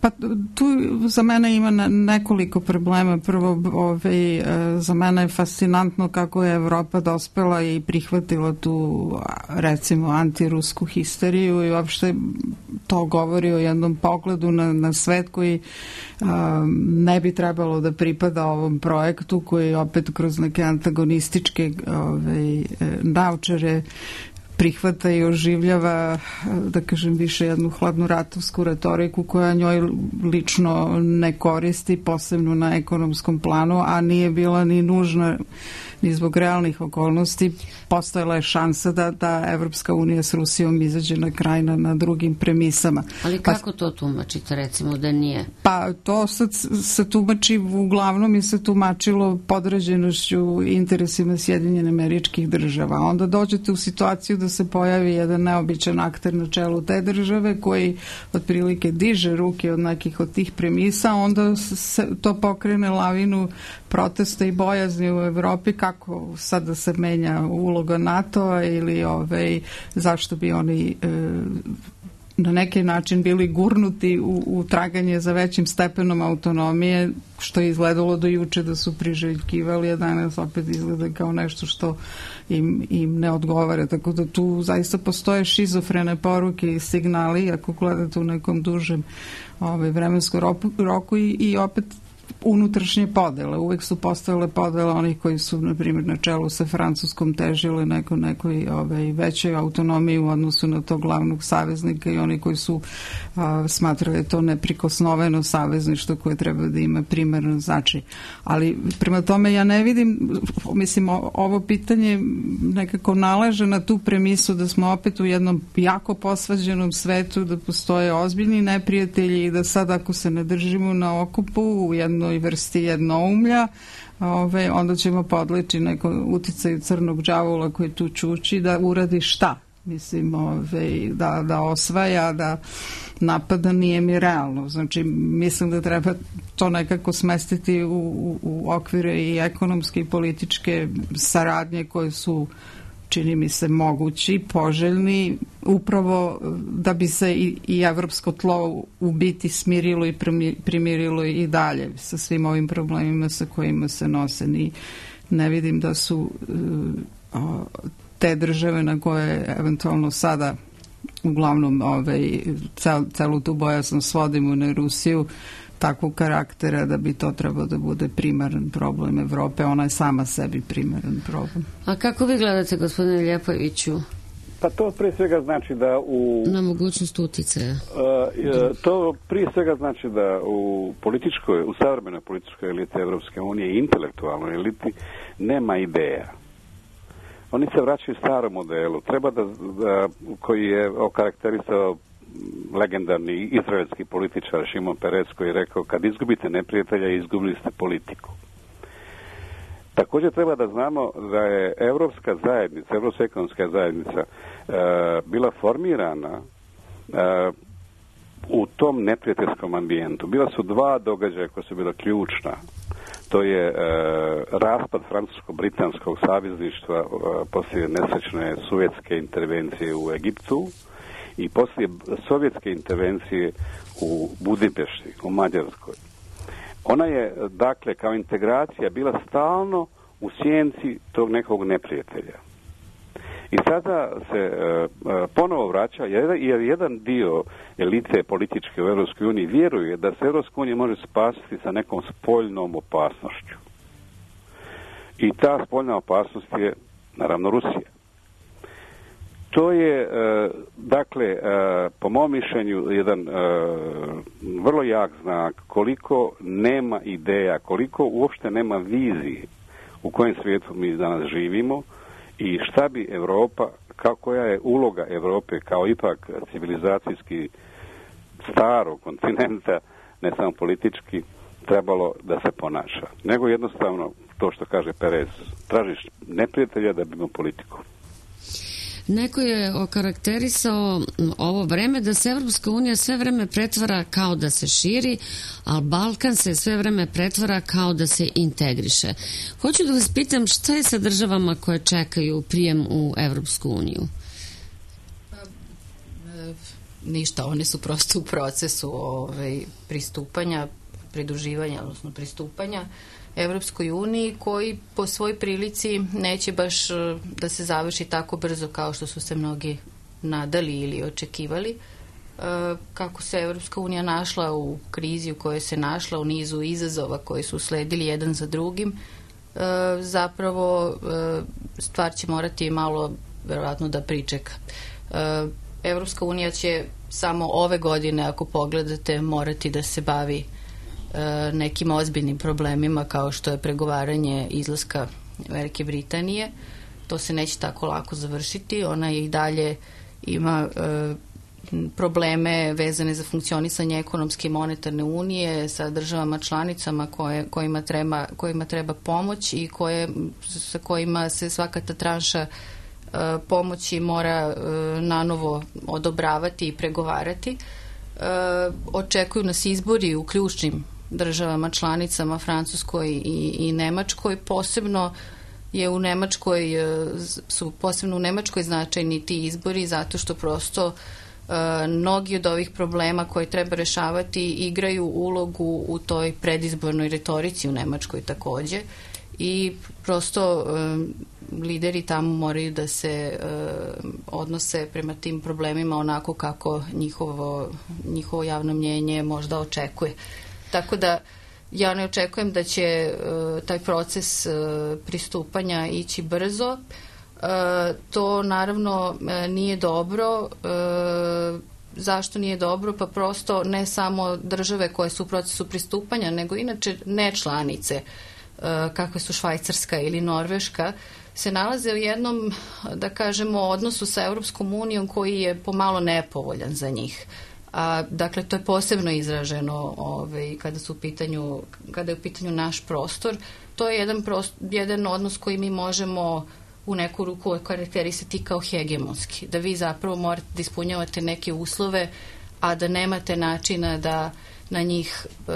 Pa tu za mene ima nekoliko problema. Prvo, ovaj, za mene je fascinantno kako je Evropa dospela i prihvatila tu, recimo, antirusku histeriju i uopšte to govori o jednom pogledu na, na svet koji a, ne bi trebalo da pripada ovom projektu koji opet kroz neke antagonističke ovaj, naučare prihvata i oživljava, da kažem, više jednu hladnu ratovsku retoriku koja njoj lično ne koristi, posebno na ekonomskom planu, a nije bila ni nužna ni zbog realnih okolnosti. Postojala je šansa da, da Evropska unija s Rusijom izađe na kraj na, na drugim premisama. Ali kako pa, to tumačite, recimo, da nije? Pa to sad se tumači, uglavnom je se tumačilo podređenošću interesima Sjedinjenih Američkih Država. Onda dođete u situaciju da se pojavi jedan neobičan akter na čelu te države koji otprilike diže ruke od nekih od tih premisa, onda se to pokrene lavinu protesta i bojazni u Evropi kako sad da se menja uloga NATO-a ili ovaj, zašto bi oni e, na neki način bili gurnuti u, u traganje za većim stepenom autonomije, što je izgledalo do juče da su priželjkivali, a danas opet izgleda kao nešto što im, im ne odgovara. Tako da tu zaista postoje šizofrene poruke i signali, ako gledate u nekom dužem ovaj, vremenskom roku i, i opet unutrašnje podele. Uvek su postojale podele onih koji su, na primjer, na čelu sa Francuskom težile neko, nekoj ovaj, većoj autonomiji u odnosu na tog glavnog saveznika i oni koji su a, smatrali to neprikosnoveno savezništvo koje treba da ima primarno značaj. Ali prema tome ja ne vidim, mislim, ovo pitanje nekako nalaže na tu premisu da smo opet u jednom jako posvađenom svetu, da postoje ozbiljni neprijatelji i da sad ako se ne držimo na okupu u jednoj vrsti jednoumlja, ove, onda ćemo podleći neko uticaju crnog đavola koji tu čuči da uradi šta? Mislim, ove, da, da osvaja, da napada, nije mi realno. Znači, mislim da treba to nekako smestiti u, u, u okvire i ekonomske i političke saradnje koje su, čini mi se, mogući, poželjni, upravo da bi se i, i evropsko tlo u biti smirilo i primirilo i dalje sa svim ovim problemima sa kojima se nose. Ni, ne vidim da su uh, te države na koje eventualno sada uglavnom ovaj, cel, celu tu bojaznost svodimo na Rusiju, takvog karaktera da bi to trebalo da bude primaran problem Evrope. Ona je sama sebi primaran problem. A kako vi gledate, gospodine Ljepoviću? Pa to prije svega znači da u... Na mogućnost uticaja. Uh, to prije svega znači da u političkoj, u savremenoj političkoj eliti Evropske unije i intelektualnoj eliti nema ideja. Oni se vraćaju starom modelu. Treba da, da koji je okarakterisao legendarni izraelski političar Šimon Peres koji je rekao kad izgubite neprijatelja, izgubili ste politiku. Također treba da znamo da je Evropska zajednica, Evropska ekonomska zajednica e, bila formirana e, u tom neprijateljskom ambijentu. Bila su dva događaja koja su bila ključna. to je e, raspad francusko-britanskog savezništva e, poslije nesrećne sovjetske intervencije u Egiptu i poslije sovjetske intervencije u Budimpešti, u Mađarskoj. Ona je, dakle, kao integracija bila stalno u sjenci tog nekog neprijatelja. I sada se e, ponovo vraća, jer jedan dio elite političke u Europskoj uniji vjeruje da se Europska unija može spasiti sa nekom spoljnom opasnošću. I ta spoljna opasnost je, naravno, Rusija. To je, e, dakle, e, po mom mišljenju, jedan e, vrlo jak znak koliko nema ideja, koliko uopšte nema vizije u kojem svijetu mi danas živimo i šta bi Europa, kao, koja je uloga Europe kao ipak civilizacijski starog kontinenta, ne samo politički, trebalo da se ponaša. Nego jednostavno, to što kaže Perez, tražiš neprijatelja da bi imao politiku. Neko je okarakterisao ovo vreme da se Evropska unija sve vreme pretvara kao da se širi, a Balkan se sve vreme pretvara kao da se integriše. Hoću da vas pitam šta je sa državama koje čekaju prijem u Evropsku uniju? Ništa, one su prosto u procesu ovaj, pristupanja, pridruživanja, odnosno pristupanja Evropskoj uniji, koji po svoj prilici neće baš da se završi tako brzo kao što su se mnogi nadali ili očekivali. Kako se Evropska unija našla u krizi u kojoj se našla, u nizu izazova koji su sledili jedan za drugim, zapravo stvar će morati malo verovatno da pričeka. Evropska unija će samo ove godine, ako pogledate, morati da se bavi nekim ozbiljnim problemima kao što je pregovaranje izlaska Velike Britanije. To se neće tako lako završiti. Ona je i dalje ima e, probleme vezane za funkcionisanje ekonomske i monetarne unije sa državama članicama koje, kojima, treba, kojima treba pomoć i koje, sa kojima se svaka ta tranša e, pomoći mora e, nanovo odobravati i pregovarati. E, očekuju nas izbori u ključnim državama članicama, Francuskoj i, i Nemačkoj. Posebno je u Nemačkoj, su posebno u Nemačkoj značajni ti izbori zato što prosto uh, mnogi od ovih problema koje treba rešavati igraju ulogu u toj predizbornoj retorici u Nemačkoj takođe i prosto uh, lideri tamo moraju da se uh, odnose prema tim problemima onako kako njihovo, njihovo javno mnjenje možda očekuje. Tako da ja ne očekujem da će uh, taj proces uh, pristupanja ići brzo. Uh, to naravno uh, nije dobro. Uh, zašto nije dobro? Pa prosto ne samo države koje su u procesu pristupanja, nego inače ne članice, uh, kakve su Švajcarska ili Norveška, se nalaze u jednom, da kažemo, odnosu sa Europskom unijom koji je pomalo nepovoljan za njih. A, dakle, to je posebno izraženo ovaj, kada su u pitanju, kada je u pitanju naš prostor. To je jedan, prost, jedan odnos koji mi možemo u neku ruku karakterisati kao hegemonski. Da vi zapravo morate da ispunjavate neke uslove, a da nemate načina da na njih e,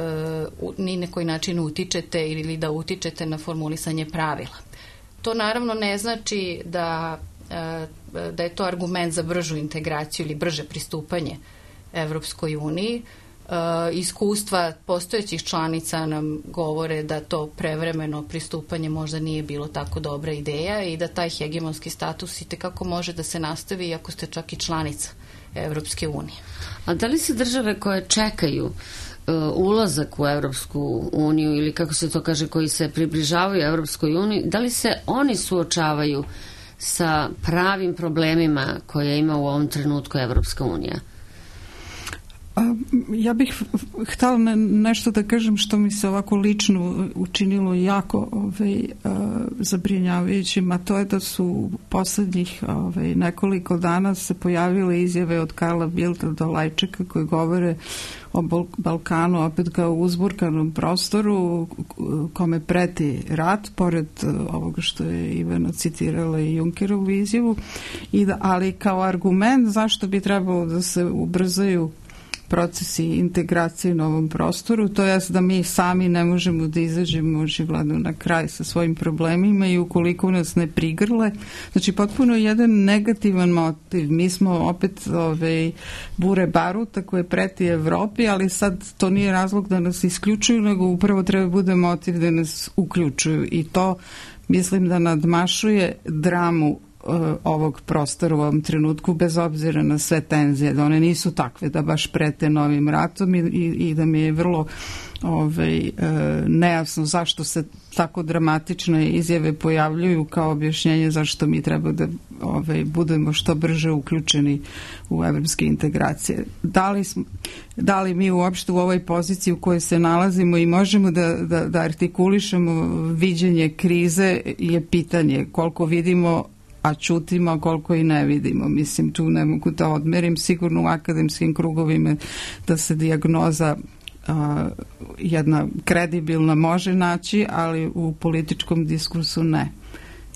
ni na koji način utičete ili da utičete na formulisanje pravila. To naravno ne znači da, e, da je to argument za bržu integraciju ili brže pristupanje Evropskoj uniji. E, iskustva postojećih članica nam govore da to prevremeno pristupanje možda nije bilo tako dobra ideja i da taj hegemonski status i tekako može da se nastavi ako ste čak i članica Evropske unije. A da li se države koje čekaju uh, ulazak u Evropsku uniju ili kako se to kaže, koji se približavaju Evropskoj uniji, da li se oni suočavaju sa pravim problemima koje ima u ovom trenutku Evropska unija? Ja bih htjela nešto da kažem što mi se ovako lično učinilo jako ovaj, zabrinjavajućim, a to je da su poslednjih ovaj, nekoliko dana se pojavile izjave od Karla Bildta do Lajčeka koji govore o Balkanu opet kao uzburkanom prostoru kome preti rat, pored ovoga što je Ivana citirala i Junckerovu izjavu, i da, ali kao argument zašto bi trebalo da se ubrzaju procesi integracije na ovom prostoru, to jest da mi sami ne možemo da izađemo očigledno na kraj sa svojim problemima i ukoliko nas ne prigrle. Znači, potpuno jedan negativan motiv. Mi smo opet ove, bure baruta koje preti Evropi, ali sad to nije razlog da nas isključuju, nego upravo treba bude motiv da nas uključuju i to mislim da nadmašuje dramu ovog prostora u ovom trenutku, bez obzira na sve tenzije, da one nisu takve da baš prete novim ratom i, i, i da mi je vrlo ovaj, e, nejasno zašto se tako dramatične izjave pojavljuju kao objašnjenje zašto mi treba da ovaj, budemo što brže uključeni u evropske integracije. Da li, smo, da li mi uopšte u ovoj poziciji u kojoj se nalazimo i možemo da, da, da artikulišemo viđenje krize je pitanje koliko vidimo a čutimo koliko i ne vidimo. Mislim, tu ne mogu da odmerim. Sigurno u akademskim krugovima da se dijagnoza a, jedna kredibilna može naći, ali u političkom diskursu ne.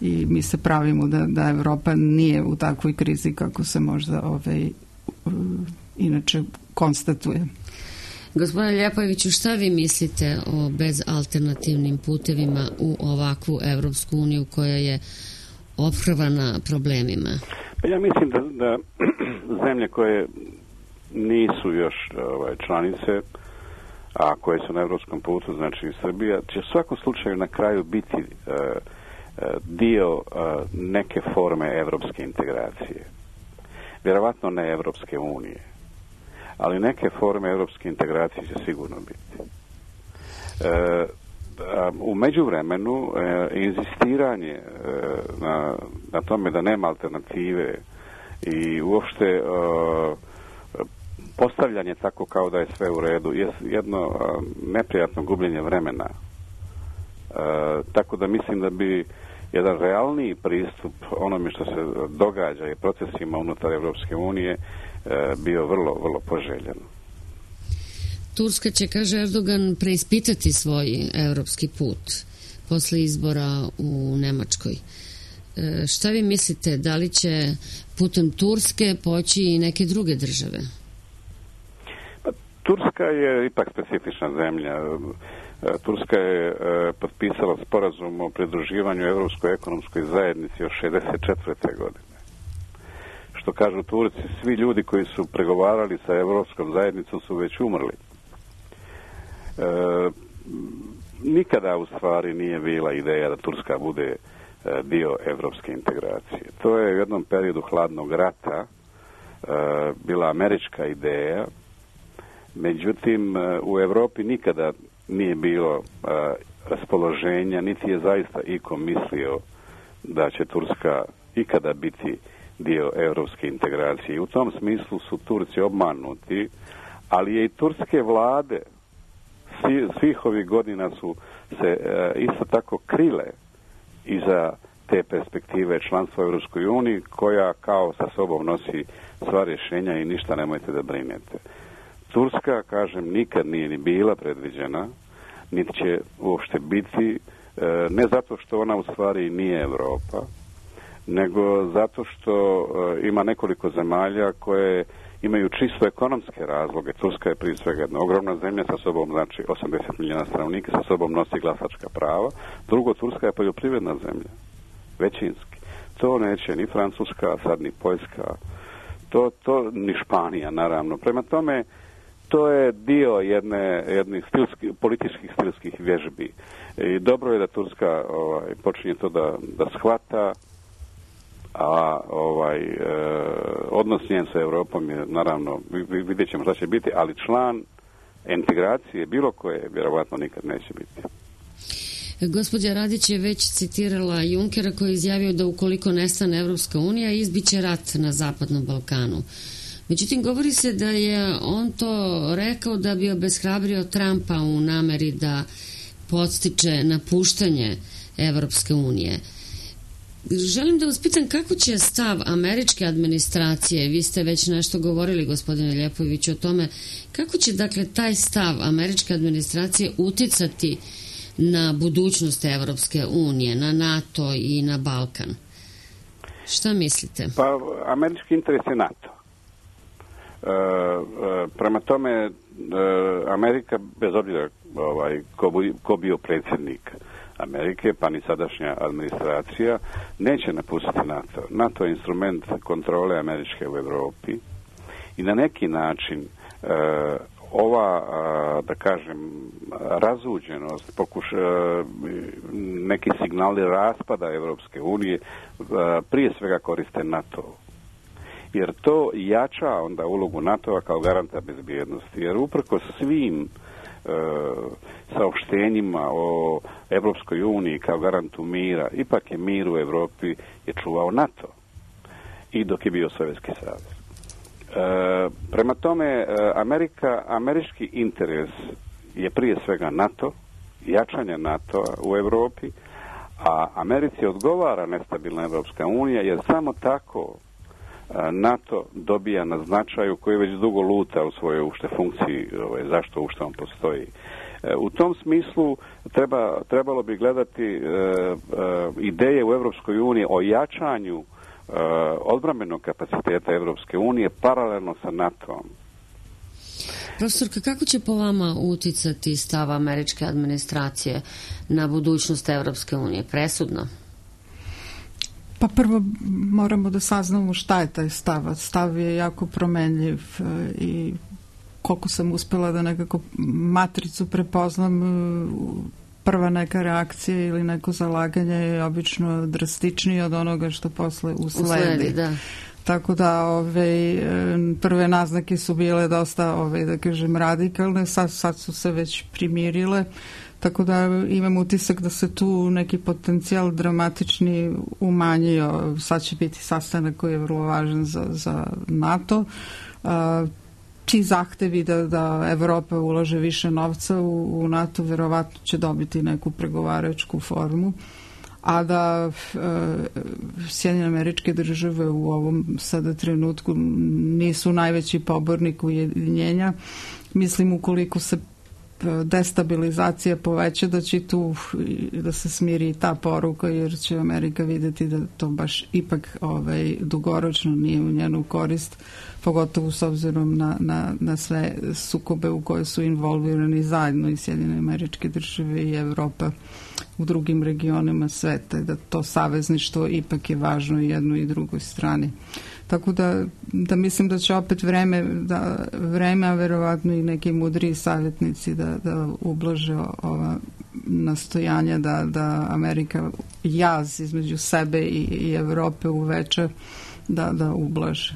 I mi se pravimo da, da Evropa nije u takvoj krizi kako se možda ovaj, inače konstatuje. Gospodine Ljepojeviću, šta vi mislite o bezalternativnim putevima u ovakvu Evropsku uniju koja je ophrvana problemima? Pa ja mislim da, da zemlje koje nisu još ovaj, članice, a koje su na evropskom putu, znači Srbija, će u svakom slučaju na kraju biti uh, uh, dio uh, neke forme evropske integracije. Vjerovatno ne Evropske unije, ali neke forme evropske integracije će sigurno biti. Uh, U međuvremenu e, inzistiranje e, na, na tome da nema alternative i uopšte e, postavljanje tako kao da je sve u redu je jedno e, neprijatno gubljenje vremena. E, tako da mislim da bi jedan realniji pristup onome što se događa i procesima unutar Evropske unije e, bio vrlo, vrlo poželjen. Turska će, kaže Erdogan, preispitati svoj evropski put posle izbora u Nemačkoj. E, šta vi mislite, da li će putem Turske poći i neke druge države? Pa, Turska je ipak specifična zemlja. Turska je e, potpisala sporazum o pridruživanju Evropskoj ekonomskoj zajednici još šezdeset četvrte godine. Što kažu Turci, svi ljudi koji su pregovarali sa Evropskom zajednicom su već umrli. E, nikada u stvari nije bila ideja da Turska bude e, dio evropske integracije. To je u jednom periodu hladnog rata e, bila američka ideja, međutim e, u Evropi nikada nije bilo e, raspoloženja, niti je zaista iko mislio da će Turska ikada biti dio evropske integracije. I u tom smislu su Turci obmanuti, ali je i turske vlade svih ovih godina su se e, isto tako krile iza te perspektive članstva u Europskoj uniji koja kao sa sobom nosi sva rješenja i ništa nemojte da brinete. Turska, kažem, nikad nije ni bila predviđena, niti će uopšte biti, e, ne zato što ona u stvari nije Evropa, nego zato što e, ima nekoliko zemalja koje imaju čisto ekonomske razloge. Turska je prije svega jedna ogromna zemlja, sa sobom znači osamdeset milijuna stanovnika, sa sobom nosi glasačka prava. Drugo, Turska je poljoprivredna zemlja, većinski. To neće ni Francuska, a sad ni Poljska, to, to ni Španija, naravno. Prema tome, to je dio jedne, jednih stilski, političkih stilskih vježbi. I dobro je da Turska ovaj, počinje to da, da shvata, a ovaj e, odnos njen sa Europom je naravno, vidjet ćemo šta će biti, ali član integracije bilo koje vjerovatno nikad neće biti. Gospođa Radić je već citirala Junkera koji je izjavio da ukoliko nestane Evropska unija izbiće rat na Zapadnom Balkanu. Međutim, govori se da je on to rekao da bi obeshrabrio Trumpa u nameri da podstiče napuštanje Evropske unije. Želim da vas pitam kako će stav američke administracije, vi ste već nešto govorili, gospodine Ljepojeviću, o tome, kako će dakle taj stav američke administracije uticati na budućnost Evropske unije, na NATO i na Balkan? Šta mislite? Pa, američki interes je NATO. prema tome, Amerika, bez obzira ovaj, ko, ko bio predsjednik Amerike, pa ni sadašnja administracija, neće napustiti NATO. NATO je instrument kontrole američke u Europi i na neki način ova, da kažem, razuđenost, pokuš, neki signali raspada Evropske unije prije svega koriste NATO. Jer to jača onda ulogu NATO-a kao garanta bezbjednosti. Jer uprkos svim e, saopštenjima o Evropskoj uniji kao garantu mira, ipak je mir u Evropi je čuvao NATO. I dok je bio Sovjetski savez. E, prema tome, Amerika, američki interes je prije svega NATO, jačanje NATO-a u Evropi, a Americi odgovara nestabilna Evropska unija, jer samo tako NATO dobija na značaju koji već dugo luta u svojoj ušte funkciji, ovaj, zašto ušte on postoji. E, u tom smislu treba, trebalo bi gledati e, e, ideje u Evropskoj uniji o jačanju e, odbrambenog kapaciteta Evropske unije paralelno sa NATO-om. Profesorka, kako će po vama uticati stav američke administracije na budućnost Evropske unije? Presudno? Pa prvo moramo da saznamo šta je taj stav. Stav je jako promenljiv i koliko sam uspela da nekako matricu prepoznam, prva neka reakcija ili neko zalaganje je obično drastičnije od onoga što posle usledi. usledi da. Tako da ove, prve naznake su bile dosta, ove, da kažem, radikalne, sad, sad su se već primirile. Tako da imam utisak da se tu neki potencijal dramatični umanjio. Sad će biti sastanak koji je vrlo važan za, za NATO. Ti zahtevi da, da Evropa ulaže više novca u, u NATO verovatno će dobiti neku pregovaračku formu, a da e, Sjedinjene Američke Države u ovom sada trenutku nisu najveći pobornik ujedinjenja. Mislim, ukoliko se destabilizacija poveća, da će tu da se smiri ta poruka, jer će Amerika vidjeti da to baš ipak ovaj, dugoročno nije u njenu korist, pogotovo s obzirom na, na, na sve sukobe u koje su involvirani zajedno i Sjedinjene Američke Države i Evropa u drugim regionima sveta, da to savezništvo ipak je važno i jednoj i drugoj strani. Tako da, da mislim da će opet vreme, da vreme, a verovatno i neki mudriji savjetnici da, da ublaže ova nastojanja da, da Amerika jaz između sebe i, i Evrope uveća, da, da ublaže.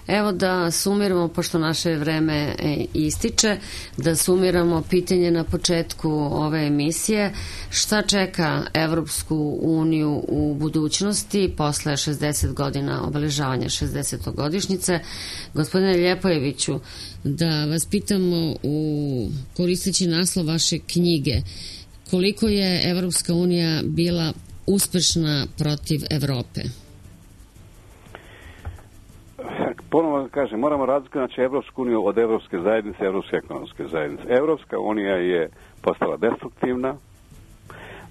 Evo da sumiramo, pošto naše vreme ističe, da sumiramo pitanje na početku ove emisije. Šta čeka Evropsku uniju u budućnosti posle šezdeset godina obeležavanja šezdesetogodišnjice? Gospodine Ljepojeviću, da vas pitamo, u koristeći naslov vaše knjige, koliko je Evropska unija bila uspešna protiv Evrope? Ponovno kažem, moramo razlikovati znači Evropsku uniju od Evropske zajednice, Evropske ekonomske zajednice. Evropska unija je postala destruktivna.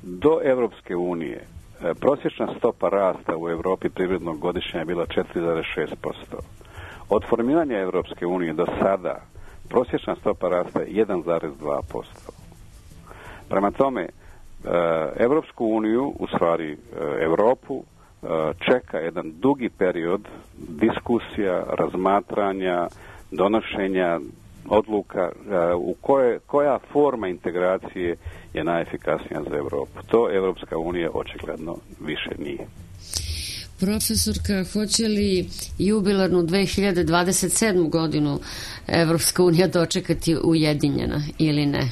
Do Evropske unije prosječna stopa rasta u Evropi privrednog godišnja je bila četiri zarez šest posto. Od formiranja Evropske unije do sada prosječna stopa rasta je jedan zarez dva posto. Prema tome, Evropsku uniju, u stvari Evropu, čeka jedan dugi period diskusija, razmatranja, donošenja odluka u koje, koja forma integracije je najefikasnija za Evropu. To Evropska unija očigledno više nije. Profesorka, hoće li jubilarnu dve hiljade dvadeset sedmu godinu Evropska unija dočekati ujedinjena ili ne?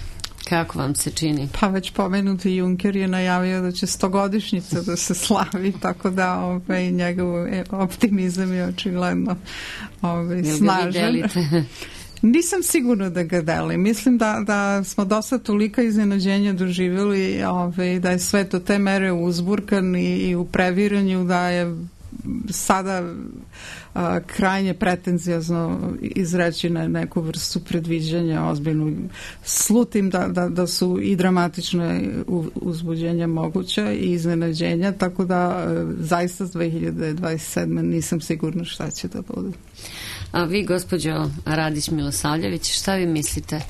Kako vam se čini? Pa već pomenuti Juncker je najavio da će stogodišnjica da se slavi, tako da ovaj, njegov optimizam je očigledno ovaj, snažan. Nisam sigurna da ga delim. Mislim da, da smo dosta tolika iznenađenja doživjeli, ovaj, da je sve to te mere uzburkan i, i u previranju, da je sada a, krajnje pretenzijazno izreći na neku vrstu predviđanja ozbiljnu. Slutim da, da, da su i dramatične uzbuđenja moguća i iznenađenja, tako da a, zaista dve hiljade dvadeset sedme nisam sigurna šta će da bude. A vi, gospođo Radić Milosavljević, šta vi mislite?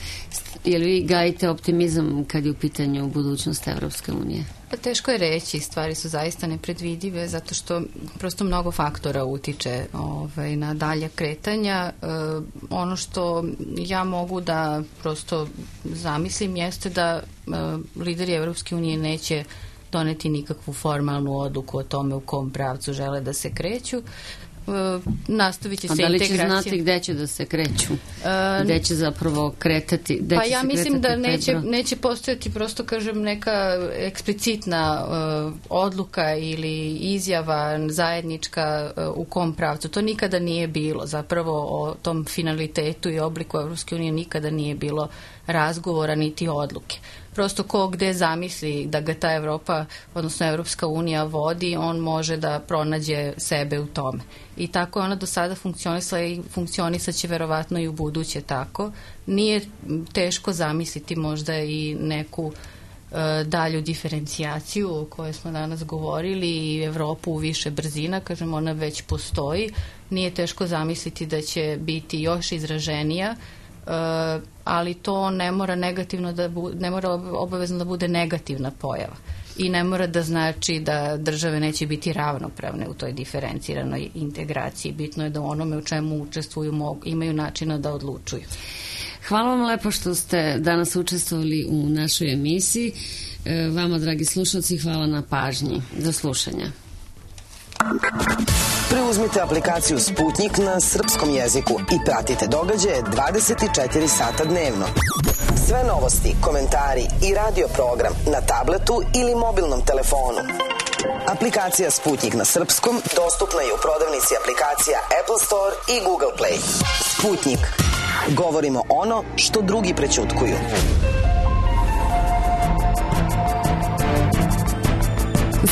Je li vi gajite optimizam kad je u pitanju budućnost Evropske unije? Pa teško je reći, stvari su zaista nepredvidive zato što prosto mnogo faktora utiče ovaj, na dalje kretanja. E, ono što ja mogu da prosto zamislim jeste da e, lideri Evropske unije neće doneti nikakvu formalnu odluku o tome u kom pravcu žele da se kreću. Nastavit će se integracija. A da li će znati gde će da se kreću? Uh, gde će zapravo kretati? Pa ja mislim da neće, neće postojati prosto, kažem, neka eksplicitna uh, odluka ili izjava zajednička uh, u kom pravcu. To nikada nije bilo. Zapravo o tom finalitetu i obliku Evropske unije nikada nije bilo razgovora niti odluke. Prosto ko gde zamisli da ga ta Evropa, odnosno Evropska unija vodi, on može da pronađe sebe u tome. I tako je ona do sada funkcionisala i funkcionisat će verovatno i u buduće tako. Nije teško zamisliti možda i neku e, dalju diferencijaciju o kojoj smo danas govorili i Evropu u više brzina, kažem, ona već postoji. Nije teško zamisliti da će biti još izraženija, Uh, ali to ne mora negativno da bu, ne mora obavezno da bude negativna pojava i ne mora da znači da države neće biti ravnopravne u toj diferenciranoj integraciji. Bitno je da onome u čemu učestvuju mogu, imaju načina da odlučuju. Hvala vam lepo što ste danas učestvovali u našoj emisiji. E, vama, dragi slušalci, hvala na pažnji. Do slušanja. Preuzmite aplikaciju Sputnik na srpskom jeziku i pratite događaje dvadeset četiri sata dnevno. Sve novosti, komentari i radio program na tabletu ili mobilnom telefonu. Aplikacija Sputnik na srpskom dostupna je u prodavnici aplikacija Apple Store i Google Play. Sputnik. Govorimo ono što drugi prećutkuju.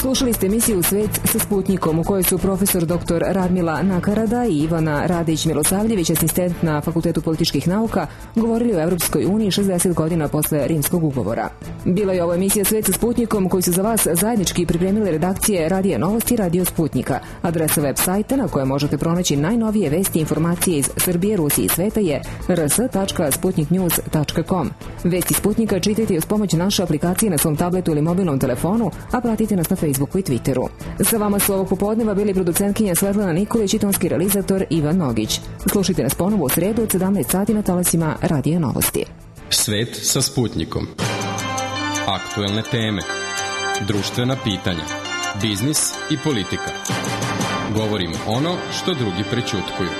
Slušali ste emisiju Svet sa Sputnikom u kojoj su profesor doktor Radmila Nakarada i Ivana Radić Milosavljević, asistent na Fakultetu političkih nauka, govorili o Evropskoj uniji šezdeset godina posle Rimskog ugovora. Bila je ovo emisija Svet sa Sputnikom koju su za vas zajednički pripremile redakcije Radija Novosti i Radio Sputnika. Adresa web sajta na kojoj možete pronaći najnovije vesti i informacije iz Srbije, Rusije i sveta je r s tačka sputnik news tačka com. Vesti Sputnika čitajte uz pomoć naše aplikacije na svom tabletu ili mobilnom telefonu, a pratite nas na Facebooku i Twitteru. Sa vama su ovog popodneva bili producentkinja Svetlana Nikolić i tonski realizator Ivan Nogić. Slušajte nas ponovo u sredu od sedamnaest sati na talasima Radija Novosti. Svet sa Sputnikom. Aktuelne teme, društvena pitanja, biznis i politika. Govorimo ono što drugi prećutkuju.